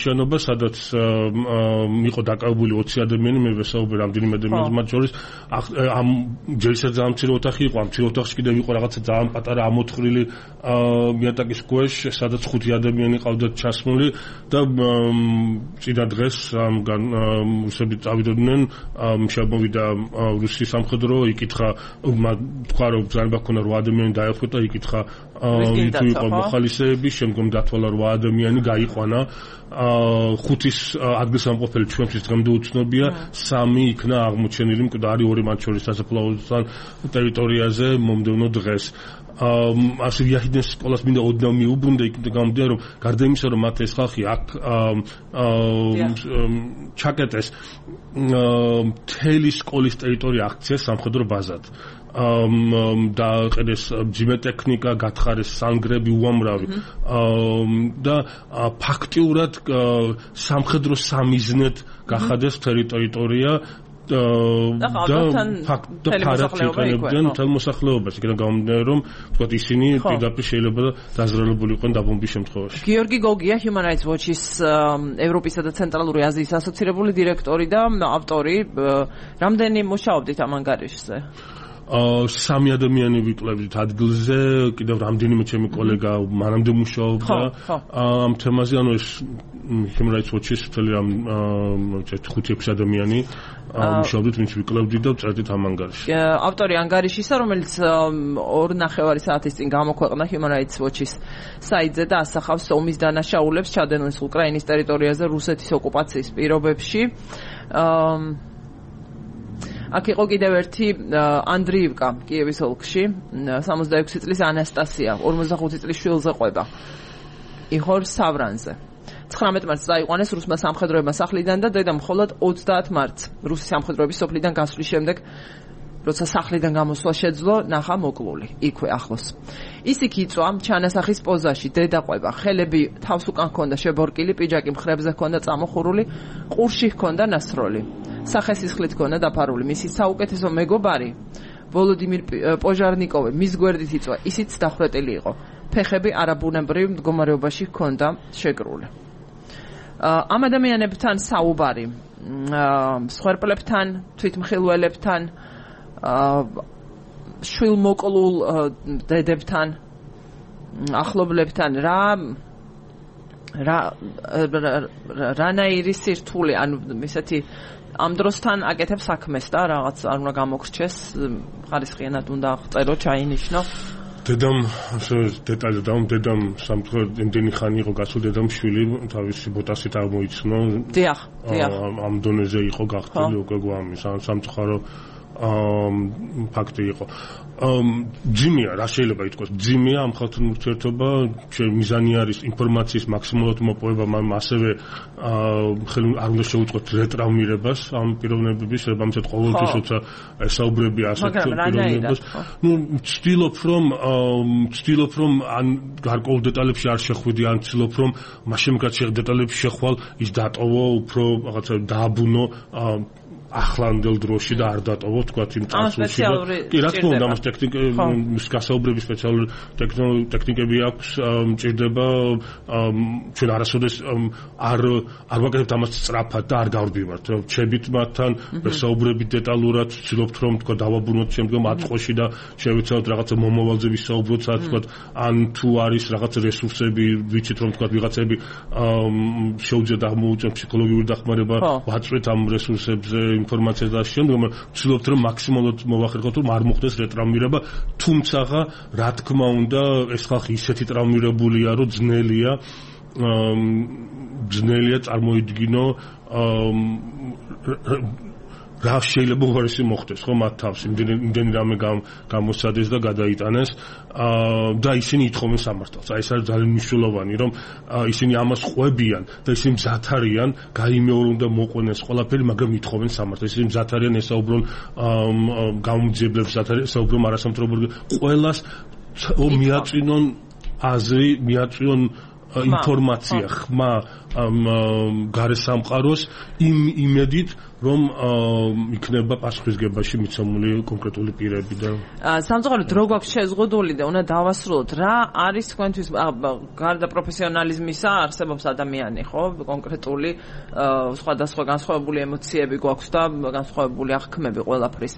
შენობა სადაც იყო დაკავებული 20 ადამიანი მე ვესაუბრე რამდენიმე ადამიანს მათ შორის ამ ჯერისად ძალიან მცირე ოთახი იყო ამ მცირე ოთახში კიდევ იყო რაღაცა ძალიან პატარა ამოთხრილი მიატაკის ქვეშ სადაც 5 ადამიანი ყავდათ ჩასმული და წინა დღეს რუსები წავიდნენ და რუსის სამხედრო იკითხა თქვა რომ ბრძანება ქონა 8 ადამიანი დაეხვდა და იკითხა თუ იყო მოხალისეები შემდგომ დათვალა 8 ადამიანი გაიყვანა 5-ის ადგილსამყოფელი ჩვენთვის დღემდე უცნობია 3 იქნა აღმოჩენილი მკვდარი 2 მათ შორის სასაფლაოსთან ტერიტორიაზე მომდევნო დღეს ასე ვიახიდნენ სკოლას მინდა ოდნავ მიუბრუნდა იქ გამომდინარე რომ გარდა იმისა რომ მათ ეს ხალხი აქ ჩაკეტეს მთელი სკოლის ტერიტორია აქციეს სამხედრო ბაზად დააყენეს ჯიბე ტექნიკა გათხარეს სანგრები უამრავი და ფაქტიურად სამხედრო სამიზნედ გახადეს ტერიტორია და მთელ მოსახლეობას იქიდან გამომდინარე რომ ვთქვათ ისინი პირდაპირ შეიძლება დაზრალებული იყვნენ დაბომბვის შემთხვევაში. გიორგი გოგია Human Rights Watch-ის ევროპისა და ცენტრალური აზიის ასოცირებული დირექტორი და ავტორი რამდენი მუშაობდით ამ ანგარიშზე? 3 ადამიანი ვიკლებდით ადგილზე, კიდევ რამდენიმე ჩემი კოლეგა მანამდე მუშაობდა ამ თემაზე, ანუ ეს Human Rights Watch-ის მთელი ამ 5-6 ადამიანი მუშაობდით, ვინც ვიკლებდით და ვწერდით ამ ანგარიშს. ავტორი ანგარიშისა, რომელიც 2.5 საათის წინ გამოქვეყნდა Human Rights Watch-ის საიტზე და ასახავს ომის დანაშაულებს ჩადენილს უკრაინის ტერიტორიაზე რუსეთის ოკუპაციის პირობებში. აქ იყო კიდევ ერთი ანდრიივკა კიევის ოლქში 66 წლის ანასტასია 45 წლის შვილზე ყვება იხორ სავრანზე 19 მარტს წაიყვანეს რუსმა სამხედროებმა სახლიდან და დედა მხოლოდ 30 მარტს რუსი სამხედროების სოფლიდან გასვლის შემდეგ როცა სახლიდან გამოსვლა შეძლო ნახა მოკლული იქვე ახლოს ის იქ იწვა ჩანასახის პოზაში დედა ყვება ხელები თავს უკან ჰქონდა შებორკილი პიჯაკი მხრებზე ჰქონდა წამოხურული ყურში ჰქონდა ნასროლი სახე სისხლით ჰქონდა დაფარული მისი საუკეთესო მეგობარი ვოლოდიმირ პოჟარნიკოვი მის გვერდით იწვა ისიც დახვრეტილი იყო ფეხები არაბუნებრივ მდგომარეობაში ჰქონდა შეკრული ამ ადამიანებთან საუბარი მსხვერპლებთან თვითმხილველებთან შვილმოკლულ დედებთან ახლობლებთან რანაირი სირთული ანუ ისეთი ამ დროსთან აკეთებს საქმეს და რაღაც არ უნდა გამოგრჩეს ხარისხიანად უნდა აღწერო ჩაინიშნო დედამ დეტალზე დედამ სამწუხაროდ იმდენი ხანი იყო გასულ დედამ შვილი თავისი ბოტასით აღმოიცნო დიახ ამ დონეზე იყო გახდილი უკვე გვამის სამწუხარო ფაქტი იყო ძიმია რა შეიძლება ითქვას ძიმია ამ ხალხთან ურთიერთობა მიზანი არის ინფორმაციის მაქსიმალურად მოპოვება ასევე არ უნდა შეუწყოთ რეტრაუმირებას ამ პიროვნებების ამცეთ ყოველთვის როცა ესაუბრები ასეთ პიროვნებას ვცდილობ რომ ან გარკვეულ დეტალებში არ შეხვიდი ან ვცდილობ რომ მაშინ რაც დეტალებში შეხვალ ის დატოვო უფრო რაღაცა დააბუნო ახლანდელ დროში და არ დატოვოთ თქვა იმ წასულში. კი, რა თქმა უნდა, ამას გასაუბრების სპეციალური ტექნიკები აქვს, მჭირდება ჩვენ არასოდეს არ ვაკეთებთ ამას სწრაფად და არ გავრბივართ. ჩებით მათთან, ვესაუბრებით დეტალურად, ვცდილობთ რომ თქვა დავაბრუნოთ შემდგომ აწყოში და შევეცადოთ რაღაცა მომავალზე ვისაუბროთ, სადაც თქვა ან თუ არის რაღაცა რესურსები, ვიცით რომ თქვა ვიღაცები შეუძლიათ აღმოუწმოთ ფსიქოლოგიური დახმარება, ვაწვეთ ამ რესურსებზე ინფორმაციას და შემდგომ ვცდილობთ რომ მაქსიმალურად მოვახერხოთ რომ არ მოხდეს რეტრაუმირება, თუმცა რა თქმა უნდა ეს ხალხი ისეთი ტრავმირებულია რომ ძნელია წარმოიდგინო რა შეიძლება უარესი მოხდეს ხო მათ თავს იმდენი რამე გამოსცადეს და გადაიტანეს და ისინი ითხოვენ სამართალს. აი ეს არის ძალიან მნიშვნელოვანი რომ ისინი ამას ყვებიან და ისინი მზად არიან გაიმეორონ და მოყვნენ ყველაფერი, მაგრამ ითხოვენ სამართალს. ისინი მზად არიან ესაუბრონ გამოძიებლებს, მზად არიან ესაუბრონ არასამთავრობო ყველას მიაწვინონ აზრი, მიაწვინონ ინფორმაცია ხმა გარესამყაროს იმ იმედით რომ იქნება პასუხისგებაში მიცემული კონკრეტული პირები და სამწუხაროდ დრო გვაქვს შეზღუდული და უნდა დავასრულოთ რა არის თქვენთვის გარდა პროფესიონალიზმისა არსებობს ადამიანი ხო კონკრეტული სხვადასხვა განსხვავებული ემოციები გვაქვს და განსხვავებული აღქმები ყველაფრის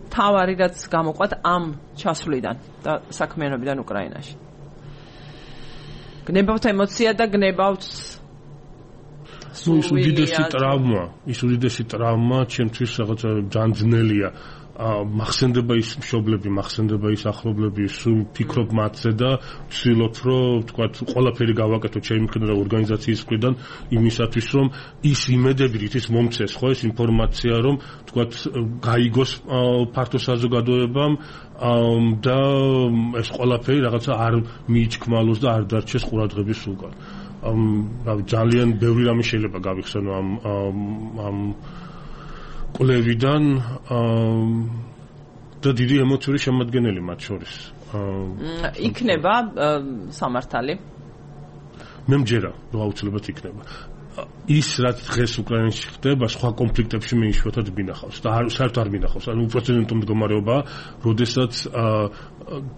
თავარი რაც გამოყვათ ამ ჩასვლიდან და საქმიანობიდან უკრაინაში გნებავთ ემოცია და გნებავთ ის უდიდესი ტრავმა ჩემთვის რაღაცა ძალიან ძნელია მახსენდება ის მშობლები მახსენდება ის ახლობლები სულ ფიქრობ მათზე და ვცდილობ რომ თქვა ყველაფერი გავაკეთო ჩემი მხრიდან და ორგანიზაციის მხრიდან იმისათვის რომ ის იმედები რითიც მომცეს ხო ეს ინფორმაცია რომ თქვა გაიგოს ფართო საზოგადოებამ და ეს ყველაფერი რაღაცა არ მიიჩქმალოს და არ დარჩეს ყურადღების უკან ძალიან ბევრი რამე შეიძლება გავიხსენო ამ კვლევიდან და დიდი ემოციური შემადგენელი მათ შორის იქნება სამართალი მე მჯერა რომ აუცილებლად იქნება ის რაც დღეს უკრაინაში ხდება სხვა კონფლიქტებში მე იშვიათად მინახავს და საერთოდ არ მინახავს ანუ უპრეცედენტო მდგომარეობა როდესაც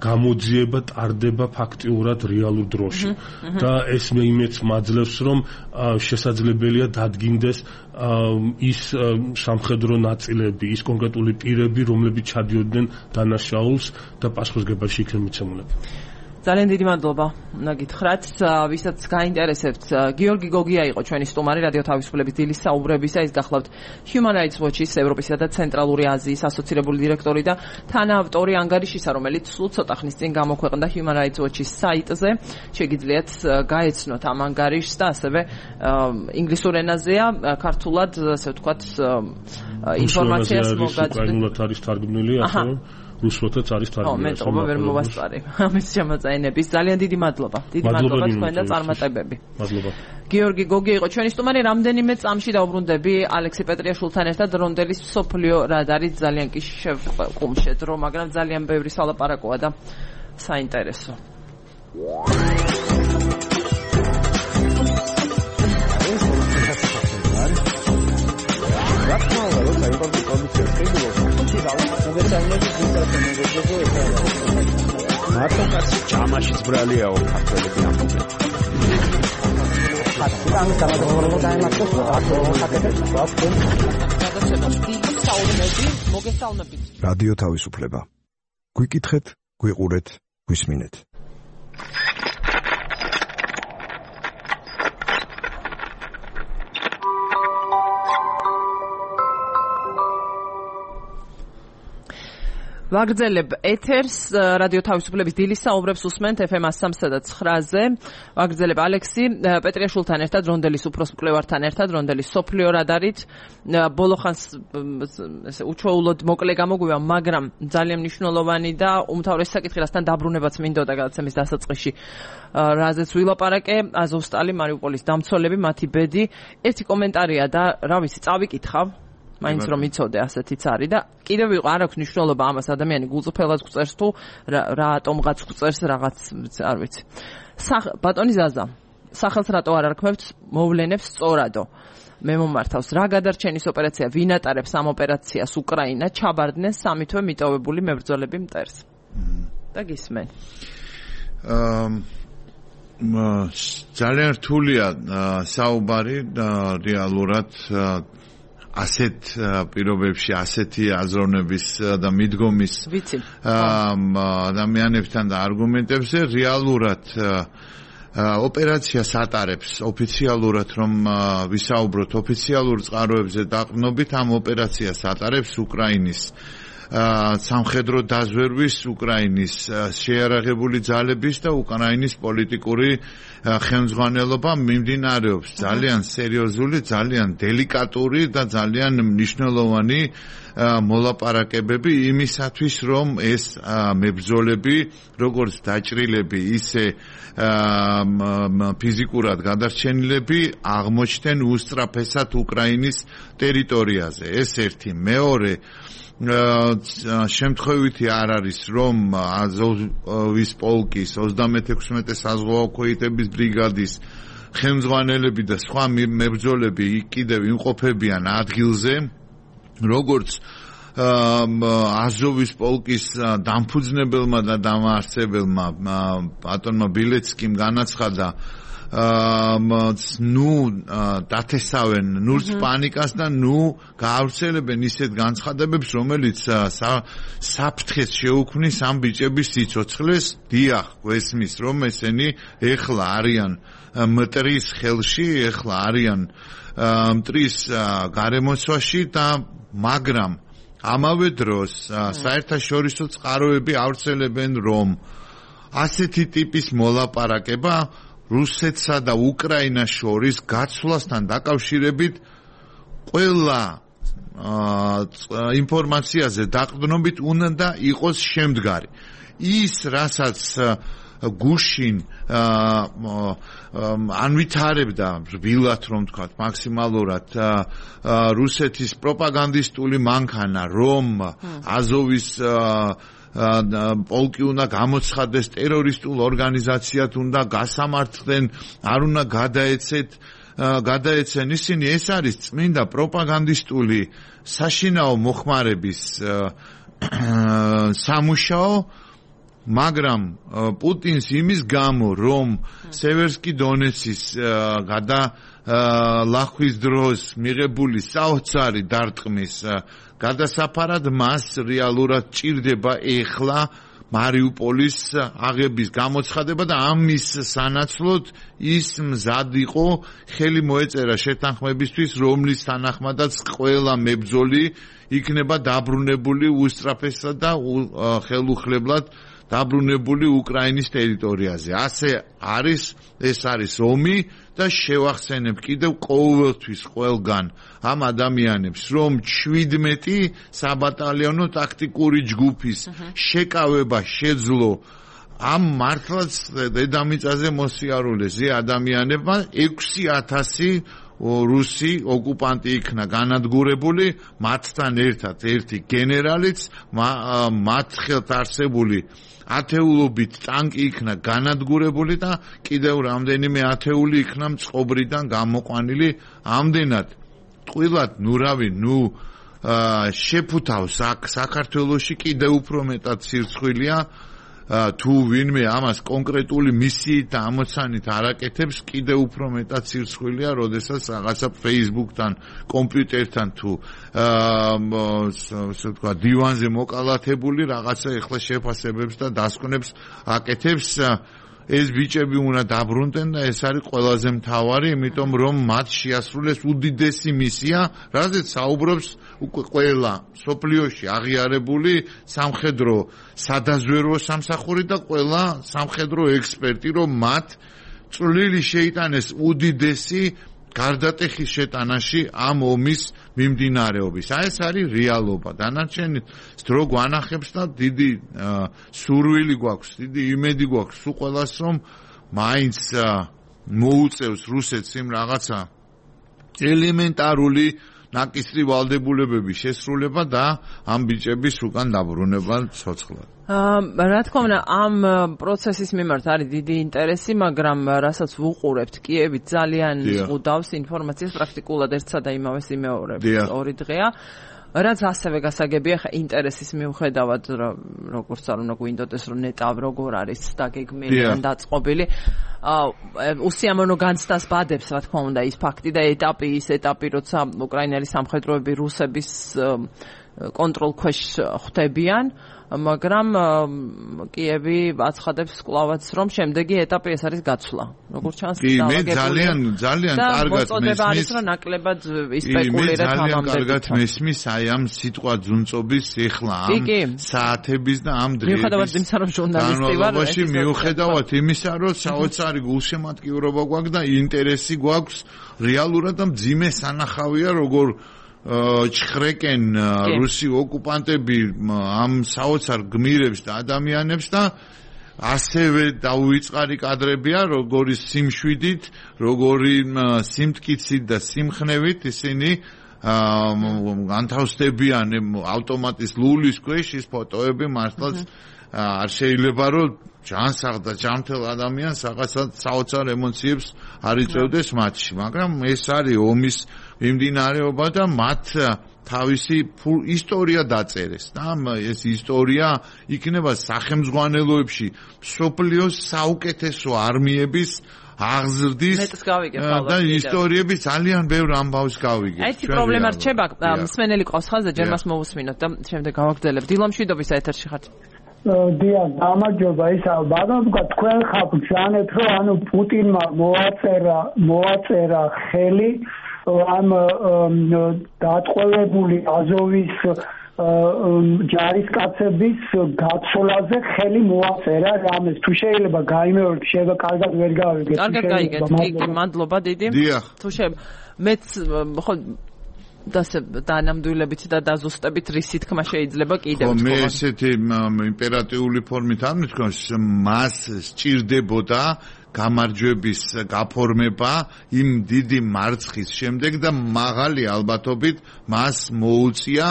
გამოძიება ტარდება ფაქტიურად რეალურ დროში და ეს მე იმედს მაძლევს რომ შესაძლებელია დადგინდეს ის სამხედრო ნაწილები ის კონკრეტული პირები რომლებიც ჩადიოდნენ დანაშაულს და პასუხისგებაში იქნენ მიცემულები ძალიან დიდი მადლობა უნდა გითხრათ ვისაც გაინტერესებთ გიორგი გოგია იყო ჩვენი სტუმარი რადიო თავისუფლების დილის საუბრებისა ის გახლავთ Human Rights Watch-ის ევროპისა და ცენტრალური აზიის ასოცირებული დირექტორი და თანაავტორი ანგარიშისა რომელიც სულ ცოტა ხნის წინ გამოქვეყნდა Human Rights Watch-ის საიტზე შეგიძლიათ გაეცნოთ ამ ანგარიშს და ასევე ინგლისურ ენაზეა ქართულად ასე ვთქვათ ინფორმაციას მოგაწვდით არის თარგმნილი ასევე რუსულთაც არის თარგმნილი. მე ვერ მოვასწარი. ამის შემოწაინების ძალიან დიდი მადლობა. დიდი მადლობა თქვენ და წარმატებები. მადლობა. გიორგი გოგი იყო ჩვენი სტუმარი რამდენიმე წამში დავბრუნდები ალექსი პეტრიაშვილთან ერთად რონდელის სოფლიო რადარის ძალიან კი შევყუმშეთ რომ მაგრამ ძალიან ბევრი სალაპარაკოა და საინტერესო. მარტო ჩამაშიც ბრალიაო ქართველები ამბობენ. რადიო თავისუფლება. გვიკითხეთ, გვიყურეთ, გვისმინეთ. ვაგრძელებ ეთერს რადიო თავისუფლების დილის საუბრებს უსმენთ FM 103.9-ზე. ვაგრძელებ ალექსი პეტრიაშვილთან ერთად რონდელის უფროს მკვლევართან ერთად რონდელის სოფლიო რადარით ბოლოხანს ესე უჩვეულოდ მოკლე გამოგვივა, მაგრამ ძალიან მნიშვნელოვანი და უმთავრესი საკითხი რასთან დაბრუნებაც მინდოდა გადაცემის დასაწყისში. რაზეც ვილაპარაკე აზოვსტალი მარიუპოლის დამცველები მათი ბედი ერთი კომენტარია და რა ვიცი წავიკითხავ მაინც რომ იცოდე ასეთიც არის და კიდევ არ აქვს მნიშვნელობა ამას ადამიანი გულწრფელად გვწერს თუ რატომღაც გვწერს რაღაც არ ვიცი. ბატონი ზაზა სახელს რატო არ არქმევთ მოვლენებს სწორადო. მე მომართავს რა გადარჩენის ოპერაცია ვინ ატარებს ამ ოპერაციას უკრაინა ჩაბარდნენ სამი თვე მიტოვებული მებრძოლები მტერს და გისმენ ძალიან რთულია საუბარი რეალურად ასეთ პირობებში ასეთი აზროვნების და მიდგომის ადამიანებთან და არგუმენტებზე რეალურად ოპერაციას ატარებს ოფიციალურად რომ ვისაუბროთ ოფიციალურ წყაროებზე დაყრდნობით ამ ოპერაციას ატარებს უკრაინის სამხედრო დაზვერვის უკრაინის შეიარაღებული ძალების და უკრაინის პოლიტიკური ხელმძღვანელობა მიმდინარეობს ძალიან სერიოზული, ძალიან დელიკატური და ძალიან მნიშვნელოვანი მოლაპარაკებები იმისათვის რომ ეს მებრძოლები როგორც დაჭრილები ისე ფიზიკურად გადარჩენილები აღმოჩნდნენ უსწრაფესად უკრაინის ტერიტორიაზე ეს ერთი მეორე შემთხვევითი არ არის რომ აზოვის პოლკის 36 საზღვაო ქვეითების ბრიგადის ხელმძღვანელები და სხვა მებრძოლები კიდევ იმყოფებიან ადგილზე როგორც აზოვის პოლკის დამფუძნებელმა და დამაარსებელმა ბატონმა ბილეცკიმ განაცხადა დათესავენ ნურს პანიკას და გაავრცელებენ ისეთ განცხადებებს რომელიც საფრთხეს შეუქმნის ამ ბიჭების სიცოცხლეს დიახ გვესმის რომ ესენი ეხლა არიან მტრის ხელში ეხლა არიან მტრის გარემოცვაში და მაგრამ ამავე დროს საერთაშორისო წყაროები ავრცელებენ რომ ასეთი ტიპის მოლაპარაკება რუსეთსა და უკრაინას შორის გაცვლასთან დაკავშირებით ყველა ინფორმაციაზე დაყრდნობით უნდა იყოს შემდგარი. ის რასაც გუშინ ანვითარებდა რბილად რომ თქვათ მაქსიმალურად რუსეთის პროპაგანდისტული მანქანა რომ აზოვის პოლკი უნდა გამოცხადდეს ტერორისტულ ორგანიზაციად უნდა გასამართლდნენ არ უნდა გადაეცენ ისინი ეს არის წმინდა პროპაგანდისტული საშინაო მოხმარების სამუშაო მაგრამ პუტინს იმის გამო რომ სევერსკი დონეცის ლახვის დროს მიღებული საოცარი დარტყმის გადასაფარად მას რეალურად ჭირდება ეხლა მარიუპოლის აღების გამოცხადება და ამის სანაცვლოდ ის მზად იყო ხელი მოეწერა შეთანხმებისთვის რომლის თანახმადაც ყველა მებრძოლი იქნება დაბრუნებული უსწრაფესად და ხელუხლებლად დაბრუნებული უკრაინის ტერიტორიაზე. ასე არის, ეს არის ომი და შევახსენებ კიდევ ყოველთვის ყველგან ამ ადამიანებს, რომ 17 საბატალიონო ტაქტიკური ჯგუფის შეკავება შეძლო ამ მართლაც დედამიწაზე მოსიარულეზე ადამიანებმა 6000 რუსი ოკუპანტი იქნა განადგურებული, მათთან ერთად ერთი გენერალიც, მათ ხელთ არსებული ათეულობით ტანკი იქნა განადგურებული და კიდევ რამდენიმე ათეული იქნა მწყობრიდან გამოყვანილი. ამდენად ტყუილად შეფუთავს აქ საქართველოში კიდევ უფრო მეტად სირცხვილია თუ ვინმე ამას კონკრეტული მისიით და ამოცანით არაკეთებს კიდევ უფრო მეტად სირცხვილია, როდესაც რაღაცა Facebook-თან, კომპიუტერთან თუ ასე ვთქვა დივანზე მოკალათებული რაღაცა ეხლა შეფასებებს და დასკვნებს აკეთებს. ეს ბიჭები უნდა დაბრუნდნენ და ეს არის ყველაზე მთავარი, იმიტომ რომ მათ შეასრულეს უდიდესი მისია, რაზეც საუბრობს უკვე ყველა სოფლიოში აღიარებული სამხედრო სადაზვერვო სამსახური და ყველა სამხედრო ექსპერტი, რომ მათ წვლილი შეიტანეს უდიდესი გარდატეხის შეტანაში ამ ომის მიმდინარეობის. ეს არის რეალობა. დანარჩენი დრო გვანახებს და დიდი სურვილი გვაქვს, დიდი იმედი გვაქვს სულ ყველას, რომ მაინც მოუწევს რუსეთს იმ რაღაცა ელემენტარული ნაკისრი ვალდებულებების შესრულება და ამ ბიჭების უკან დაბრუნება ცოცხლად. რა თქმა უნდა, ამ პროცესის მიმართ არის დიდი ინტერესი, მაგრამ რასაც ვუყურებთ, კიევი ძალიან ზღუდავს ინფორმაციას პრაქტიკულად ერთსა და იმავეს იმეორებს 2 დღეა. რაც ასევე გასაგებია, ხა ინტერესის მიუხედავად, როგორც არ უნდა გვინდოდეს, რომ ნეტავ როგორ არის დაგეგმილი ან დაწყობილი, უსიამოვნო განცდას ბადებს, რა თქმა უნდა, ის ფაქტი და ის ეტაპი, როცა უკრაინელი სამხედროები რუსების კონტროლ ქვეშ ხვდებიან, მაგრამ კიევი აცხადებს კლავაც, რომ შემდეგი ეტაპი ეს არის გაცვლა. როგორც ჩანს, ძალიან კარგად მესმის, რომ ნაკლებად ისპეკულირებს ამ ამბებით. კარგად მესმის აი ამ სიტყვა ძუნწობის ეხლა ამ საათების და ამ დღეების. მიუხედავად იმისა, რომ ჟურნალისტი ვარ, მიუხედავად იმისა, რომ საოცარი გულშემატკივრობა გვაქვს და ინტერესი გვაქვს რეალურად და მძიმე სანახავია, როგორ ჩხრეკენ რუსი ოკუპანტები ამ საოცარ გმირებს და ადამიანებს და ასევე დაუვიწყარი კადრებია, როგორი სიმშვიდით, როგორი სიმტკიცით და სიმხნევით ისინი განთავსდებიან ავტომატის ლულის ქვეშ ის ფოტოები მართლაც არ შეიძლება რომ ჯანსაღ და ჯანმრთელ ადამიანს რაღაცა საოცარ ემოციებს არ იწევდეს მათში, მაგრამ ეს არის ომის მიმდინარეობა და მათ თავისი ისტორია დაწერეს და ეს ისტორია იქნება სახელმძღვანელოებში მსოფლიოს საუკეთესო არმიების აღზრდის და ისტორიები ძალიან ბევრ ამბავს გავიგებთ. ერთი პრობლემა რჩება, მსმენელი ყავს ხაზზე, ჯერ მას მოვუსმინოთ და შემდეგ გავაგრძელებ. დილამშვიდობის ეთერში ხართ. დიახ, გამარჯობა. ის ბატონო, თქვენ ხართ ჯანეთ, რომ ანუ პუტინმა მოაწერა ხელი ამ დატყვევებული აზოვის ჯარისკაცების გაცვლაზე ხელი მოაწერა რამეს. თუ შეიძლება გაიმეოროთ, შეიძლება კარგად ვერ გავიგეთ. კარგად გაიგეთ. მადლობა დიდი. თუ შეიძლება მეც ხო დანამდვილებით და დაზუსტებით რის თქმა შეიძლება კიდევ თქო მე ესეთი იმპერატიული ფორმით არ მithქვამს მას სჭირდებოდა გამარჯვების გაფორმება იმ დიდი მარცხის შემდეგ და მაღალი ალბათობით მას მოუწია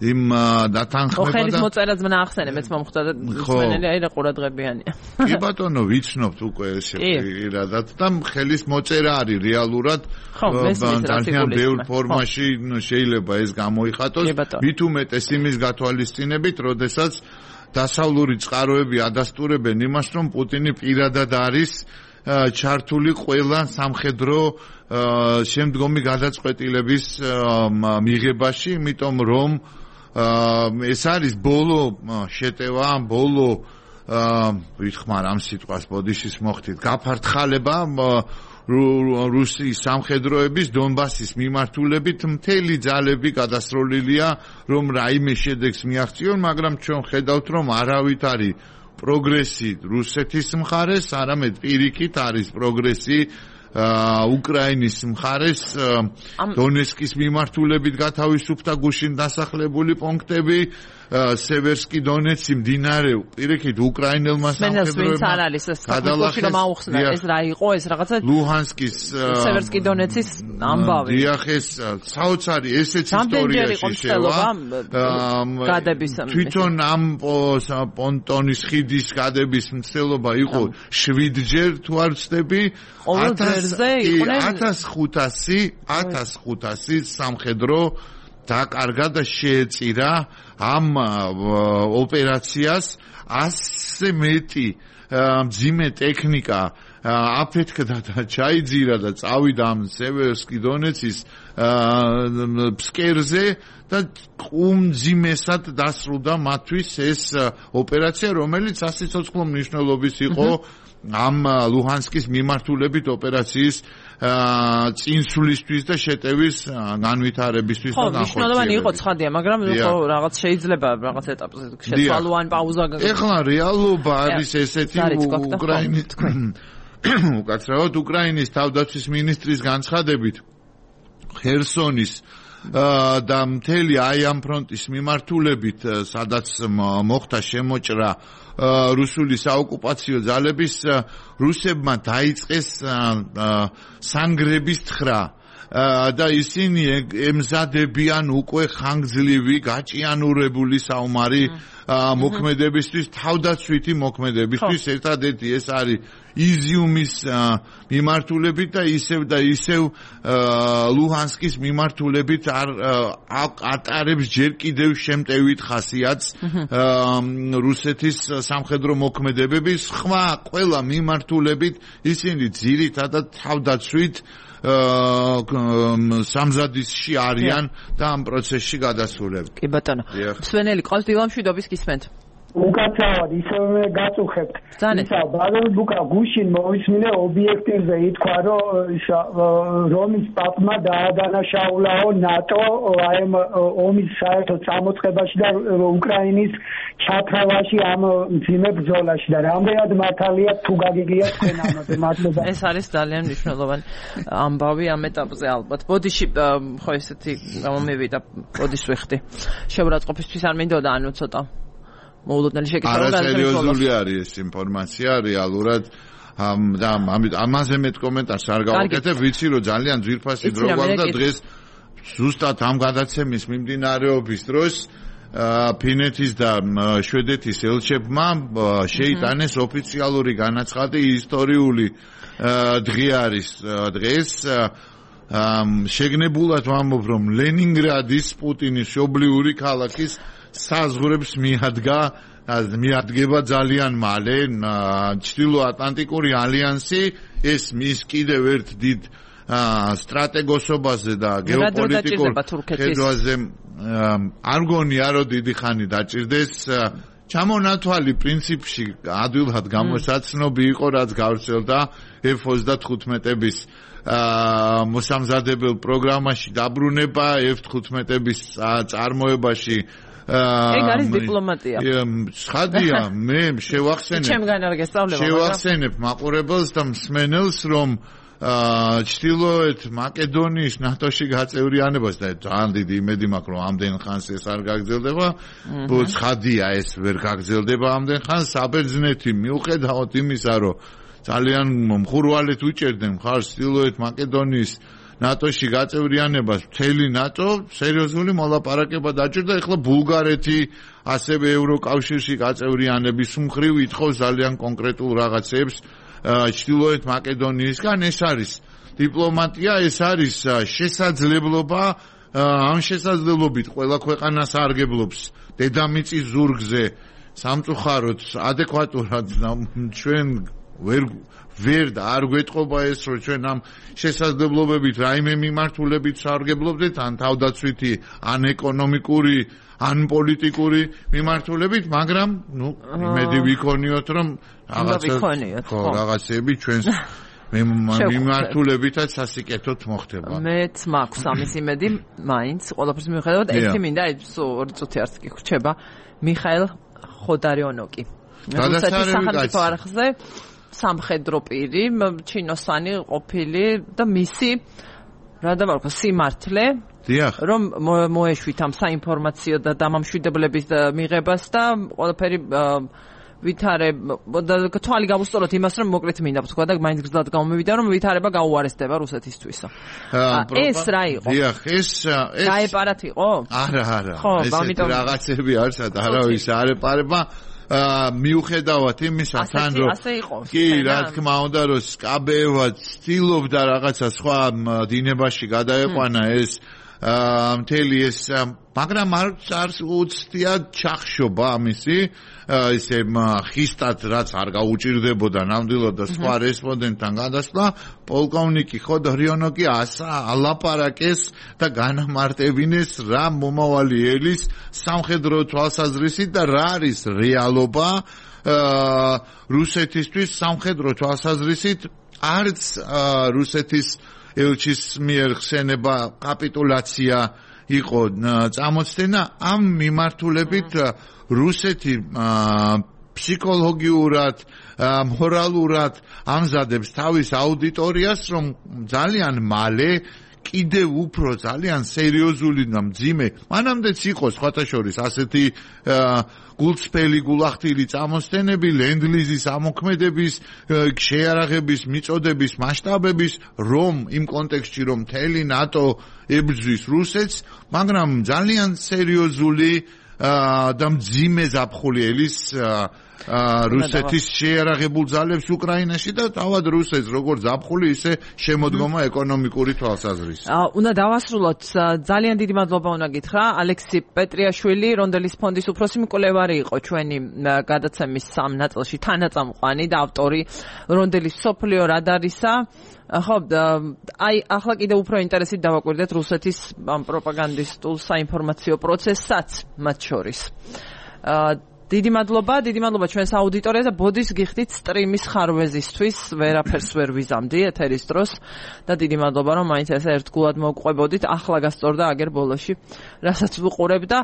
იმ დათანხმება და ხელის მოწერაც მნახსენე მეც მომხვდა და მსმენელი აი რა ყურადღებიანია. კი ბატონო ვიცნობთ უკვე ესე პირადად და ხელის მოწერა არის რეალურად ძალიან ბევრ ფორმაში შეიძლება ეს გამოიხატოს მით უმეტეს იმის გათვალისწინებით, როდესაც დასავლური წყაროები ადასტურებენ იმას, რომ პუტინი პირადად არის ჩართული ყველა სამხედრო შემდგომი გადაწყვეტილების მიღებაში, იმიტომ რომ ეს არის ბოლო შეტევა, ბოლო ვითხმარ ამ სიტყვას ბოდიშის მოხდით, გაფართხალება რუსის სამხედროების დონბასის მიმართულებით მთელი ძალები გადასროლილია, რომ რაიმე შედეგს მიაღწიონ, მაგრამ ჩვენ ხედავთ, რომ არავით არის პროგრესი რუსეთის მხარეს, არამედ პირიქით არის პროგრესი უკრაინის მხარეს, დონეცკის მიმართულებით გათავისუფლდა გუშინ დასახლებული პუნქტები, სევერსკი დონეცი მდინარე პირიქით უკრაინელმა სამხედროებმა ეს რა იყო ეს რაღაცა ლუჰანსკის სევერსკი დონეცის ამბავი. დიახ, ეს საოცარი ესეც ისტორიაში შევა თვითონ ამ პონტონის ხიდის გადების მცდელობა იყო 7-ჯერ თუ არ ვცდები 1500 სამხედრო დაკარგა და შეეწირა ამ ოპერაციას 100 მეტი მძიმე ტექნიკა აფეთქდა და ჩაიძირა და წავიდა ამ სევერსკი დონეცის ფსკერზე და ყუმძიმესად დასრულდა მათთვის ეს ოპერაცია, რომელიც სასიცოცხლო მნიშვნელობის იყო ამ ლუჰანსკის მიმართულებით ოპერაციის წინსვლისთვის და შეტევის განვითარებისთვის და განხორციელებისთვის. ხო, მნიშვნელოვანი იყო ცხადია, მაგრამ ხო რაღაც შეიძლება რაღაც ეტაპზე შეცვალო ან პაუზა გაგა. ეხლა რეალობა არის ესეთი უკრაინის უკაცრავად უკრაინის თავდაცვის მინისტრის განცხადებით ხერსონის და მთელი აი ამ ფრონტის მიმართულებით, სადაც მოხდა შემოჭრა რუსული საოკუპაციო ძალების, რუსებმა დაიწყეს სანგრების თხრა და ისინი ემზადებიან უკვე ხანგრძლივი გაჭიანურებული საომარი მოქმედებისთვის, თავდაცვითი მოქმედებისთვის, ერთადერთი ეს არის იზიუმის მიმართულებით და ისევ ლუჰანსკის მიმართულებით ატარებს ჯერ კიდევ შემტევით ხასიათს რუსეთის სამხედრო მოქმედებების სხვა ყველა მიმართულებით ისინი ძირითადად თავდაცვით სამზადისში არიან და ამ პროცესში გადასულები. კი ბატონო. მსვენელი ყავს დილამშვიდობის გისმენთ. უკაცრავად ისევე გაწუხებთ. ისა ბარონ ბუკა გუშინ მოვისმინე ობიექტივზე ითქვა რომ რომის პაპმა დაადანაშაულაო ნატო აი ომის საერთო წამოწყებაში და უკრაინის ჩათრევაში ამ მძიმე ბრძოლაში და რამდენად მართალია თუ გაგიგია თქვენ ამაზე მადლობა. ეს არის ძალიან მნიშვნელოვანი ამბავი ამ ეტაპზე ალბათ. ბოდიში ხო ესეთი გამომივიდა ბოდიშს ვიხდი. შეურაცხყოფისთვის არ მინდოდა ანუ ცოტა მოულოდნელი შეკითხვა არასერიოზული არის ეს ინფორმაცია რეალურად და ამაზე მეტ კომენტარს არ გავაკეთებ ვიცი რომ ძალიან ძვირფასი დრო გვაქვს და დღეს ზუსტად ამ გადაცემის მიმდინარეობის დროს ფინეთის და შვედეთის ელჩებმა შეიტანეს ოფიციალური განაცხადი ისტორიული დღე არის დღეს შეგნებულად ვამბობ რომ ლენინგრადის პუტინის მშობლიური ქალაქის საზღვრებს მიადგება ძალიან მალე ჩრდილოატლანტიკური ალიანსი ეს მის კიდევ ერთ დიდ სტრატეგოსობაზე და გეოპოლიტიკურ ხედვაზე არ მგონია რომ დიდი ხანი დაჭირდეს ჩამონათვალი პრინციპში ადვილად გამოსაცნობი იყო რაც გავრცელდა F-35-ების მოსამზადებელ პროგრამაში დაბრუნება F-15-ების წარმოებაში ეგ არის დიპლომატია. ხადია, მე შევახსენებ მაყურებელს და მსმენელს, რომ ჩრდილოეთ მაკედონიის ნატოში გაწევრიანებას და ძალიან დიდი იმედი მაქვს, რომ ამდენ ხანს ეს არ გაგრძელდება. ხადია, ეს ვერ გაგრძელდება ამდენ ხანს. საბერძნეთი მიუხედავად იმისა, რომ ძალიან მხურვალეთ უჭერდნენ მხარს ჩრდილოეთ მაკედონიის ნატოში გაწევრიანებას მთელი ნატო სერიოზული მოლაპარაკება დაჭირდა. ეხლა ბულგარეთი ასევე ევროკავშირში გაწევრიანების მხრივ ითხოვს ძალიან კონკრეტულ რაღაცებს ჩრდილოეთ მაკედონიისგან. ეს არის დიპლომატია, ეს არის შესაძლებლობა. ამ შესაძლებლობით ყველა ქვეყანა სარგებლობს დედამიწის ზურგზე სამწუხაროდ ადეკვატურად ჩვენ ვერ და არ გვეტყობა ეს რომ ჩვენ ამ შესაძლებლობებით რაიმე მიმართულებით სარგებლობდეთ ან თავდაცვითი ან ეკონომიკური ან პოლიტიკური მიმართულებით მაგრამ იმედი ვიქონიოთ რომ რაღაცები ჩვენს მიმართულებითაც სასიკეთოდ მოხდება. მეც მაქვს ამის იმედი მაინც ყველაფერს მიუხედავად ერთი მინდა ორი წუთი არც კი ხრჩება მიხაილ ხოდარიონოკი რუსეთის სახელმწიფო არხზე სამხედრო პირი, ჩინოსანი ყოფილი და მისი რა დავარქვა სიმართლე რომ მოეშვით ამ საინფორმაციო და დამამშვიდებლების მიღებას და ყველაფერი ვითარებ და თვალი გავუსწოროთ იმას რომ მოკლედ მინდა ვთქვა და მაინც გზად გამომივიდა რომ ვითარება გაუარესდება რუსეთისთვისო. ეს რა იყო? დიახ, ეს გაეპარათ იყო? არა. ეს რაღაცები არის, არავის არ ეპარება. მიუხედავად იმისა თან რომ კი რა თქმა უნდა რომ სკაბეევა ცდილობდა რაღაცა სხვა დინებაში გადაეყვანა ეს მთელი ეს მაგრამ არ უცდია ჩახშობა ამისი ისე ხისტად რაც არ გაუჭირდებოდა ნამდვილად და სხვა რესპონდენტთან გადასვლა პოლკოვნიკი ხოდორიონოკი ალაპარაკეს და განამარტებინეს რა მომავალი ელის სამხედრო თვალსაზრისით და რა არის რეალობა რუსეთისთვის სამხედრო თვალსაზრისით არც რუსეთის ელჩის მიერ ხსენება კაპიტულაცია იყო წამოწდენა ამ მიმართულებით რუსეთი ფსიქოლოგიურად მორალურად ამზადებს თავის აუდიტორიას რომ ძალიან მალე კიდევ უფრო ძალიან სერიოზული და მძიმე მანამდეც იყო სხვათა შორის ასეთი გულწრფელი გულახდილი წამოსცენები ლენდლიზის ამოქმედების შეიარაღების მიწოდების მასშტაბების რომ იმ კონტექსტში რომ მთელი ნატო ებრძვის რუსეთს მაგრამ ძალიან სერიოზული და მძიმე ზაფხულიელის რუსეთის შეიარაღებულ ძალებს უკრაინაში და თავად რუსეთს როგორც ზაფხული ისე შემოდგომა ეკონომიკური თვალსაზრისით. უნდა დავასრულოთ ძალიან დიდი მადლობა უნდა გითხრა ალექსი პეტრიაშვილი რონდელის ფონდის უფროსი მკვლევარი იყო ჩვენი გადაცემის სამ ნაწილში თანაწამყვანი და ავტორი რონდელის სოფლიო რადარისა ხო აი ახლა კიდევ უფრო ინტერესით დავაკვირდეთ რუსეთის პროპაგანდისტულ საინფორმაციო პროცესსაც მათ შორის დიდი მადლობა ჩვენს აუდიტორიას და ბოდის გიხდით სტრიმის ხარვეზისთვის ვერაფერს ვერ ვიზამდი ეთერის დროს და დიდი მადლობა რომ მაინც ესე ერთგულად მოვყვებოდით ახლა გასწორდა აგერ ბოლოში რასაც ვუყურებ და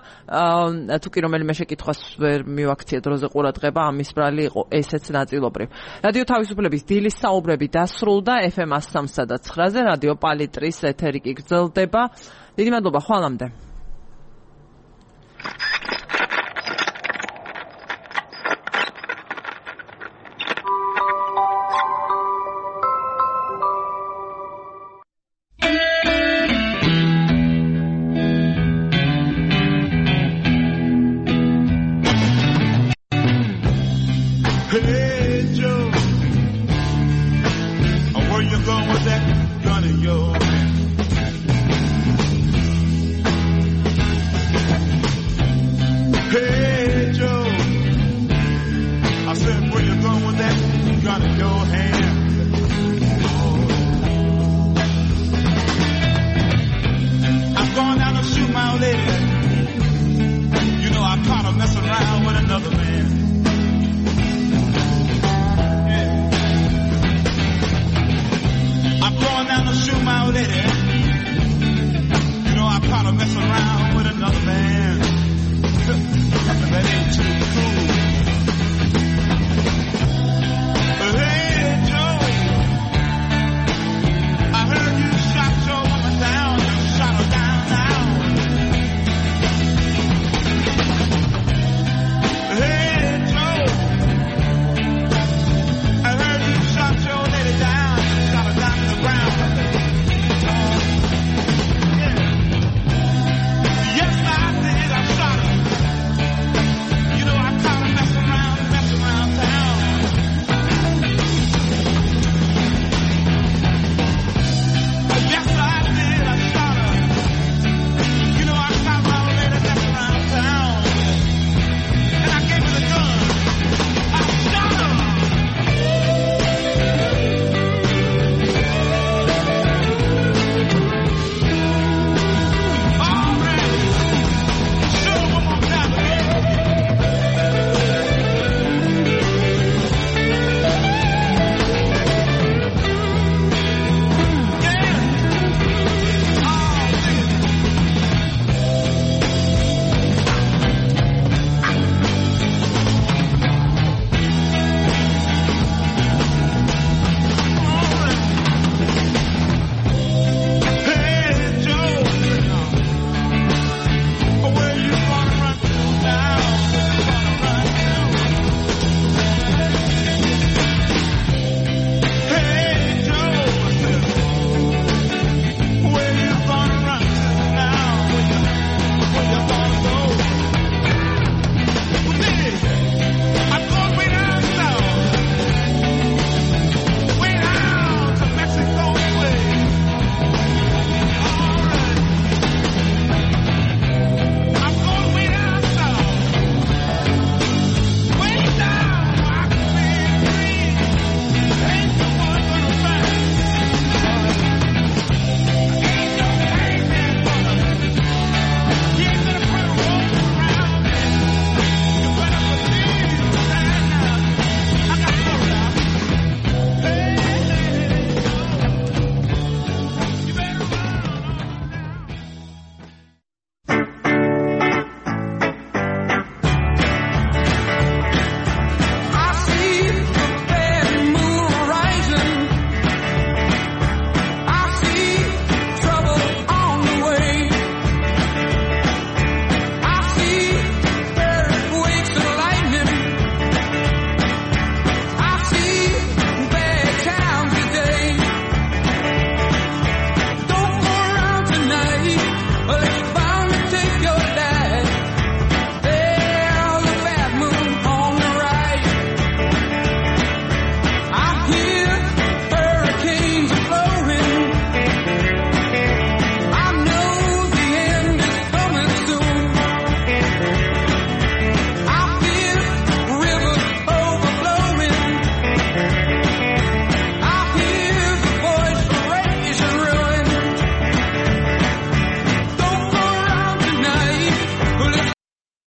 თუ კი რომელიმე შეკითხვას ვერ მივაქციე დროზე ყურადღება ამის ბრალი იყო ესეც ნაწილობრივ რადიო თავისუფლების დილის საუბრები დასრულდა FM 103 და 9-ზე რადიო პალიტრის ეთერი კი გრძელდება დიდი მადლობა ხვალამდე Messing around with another man.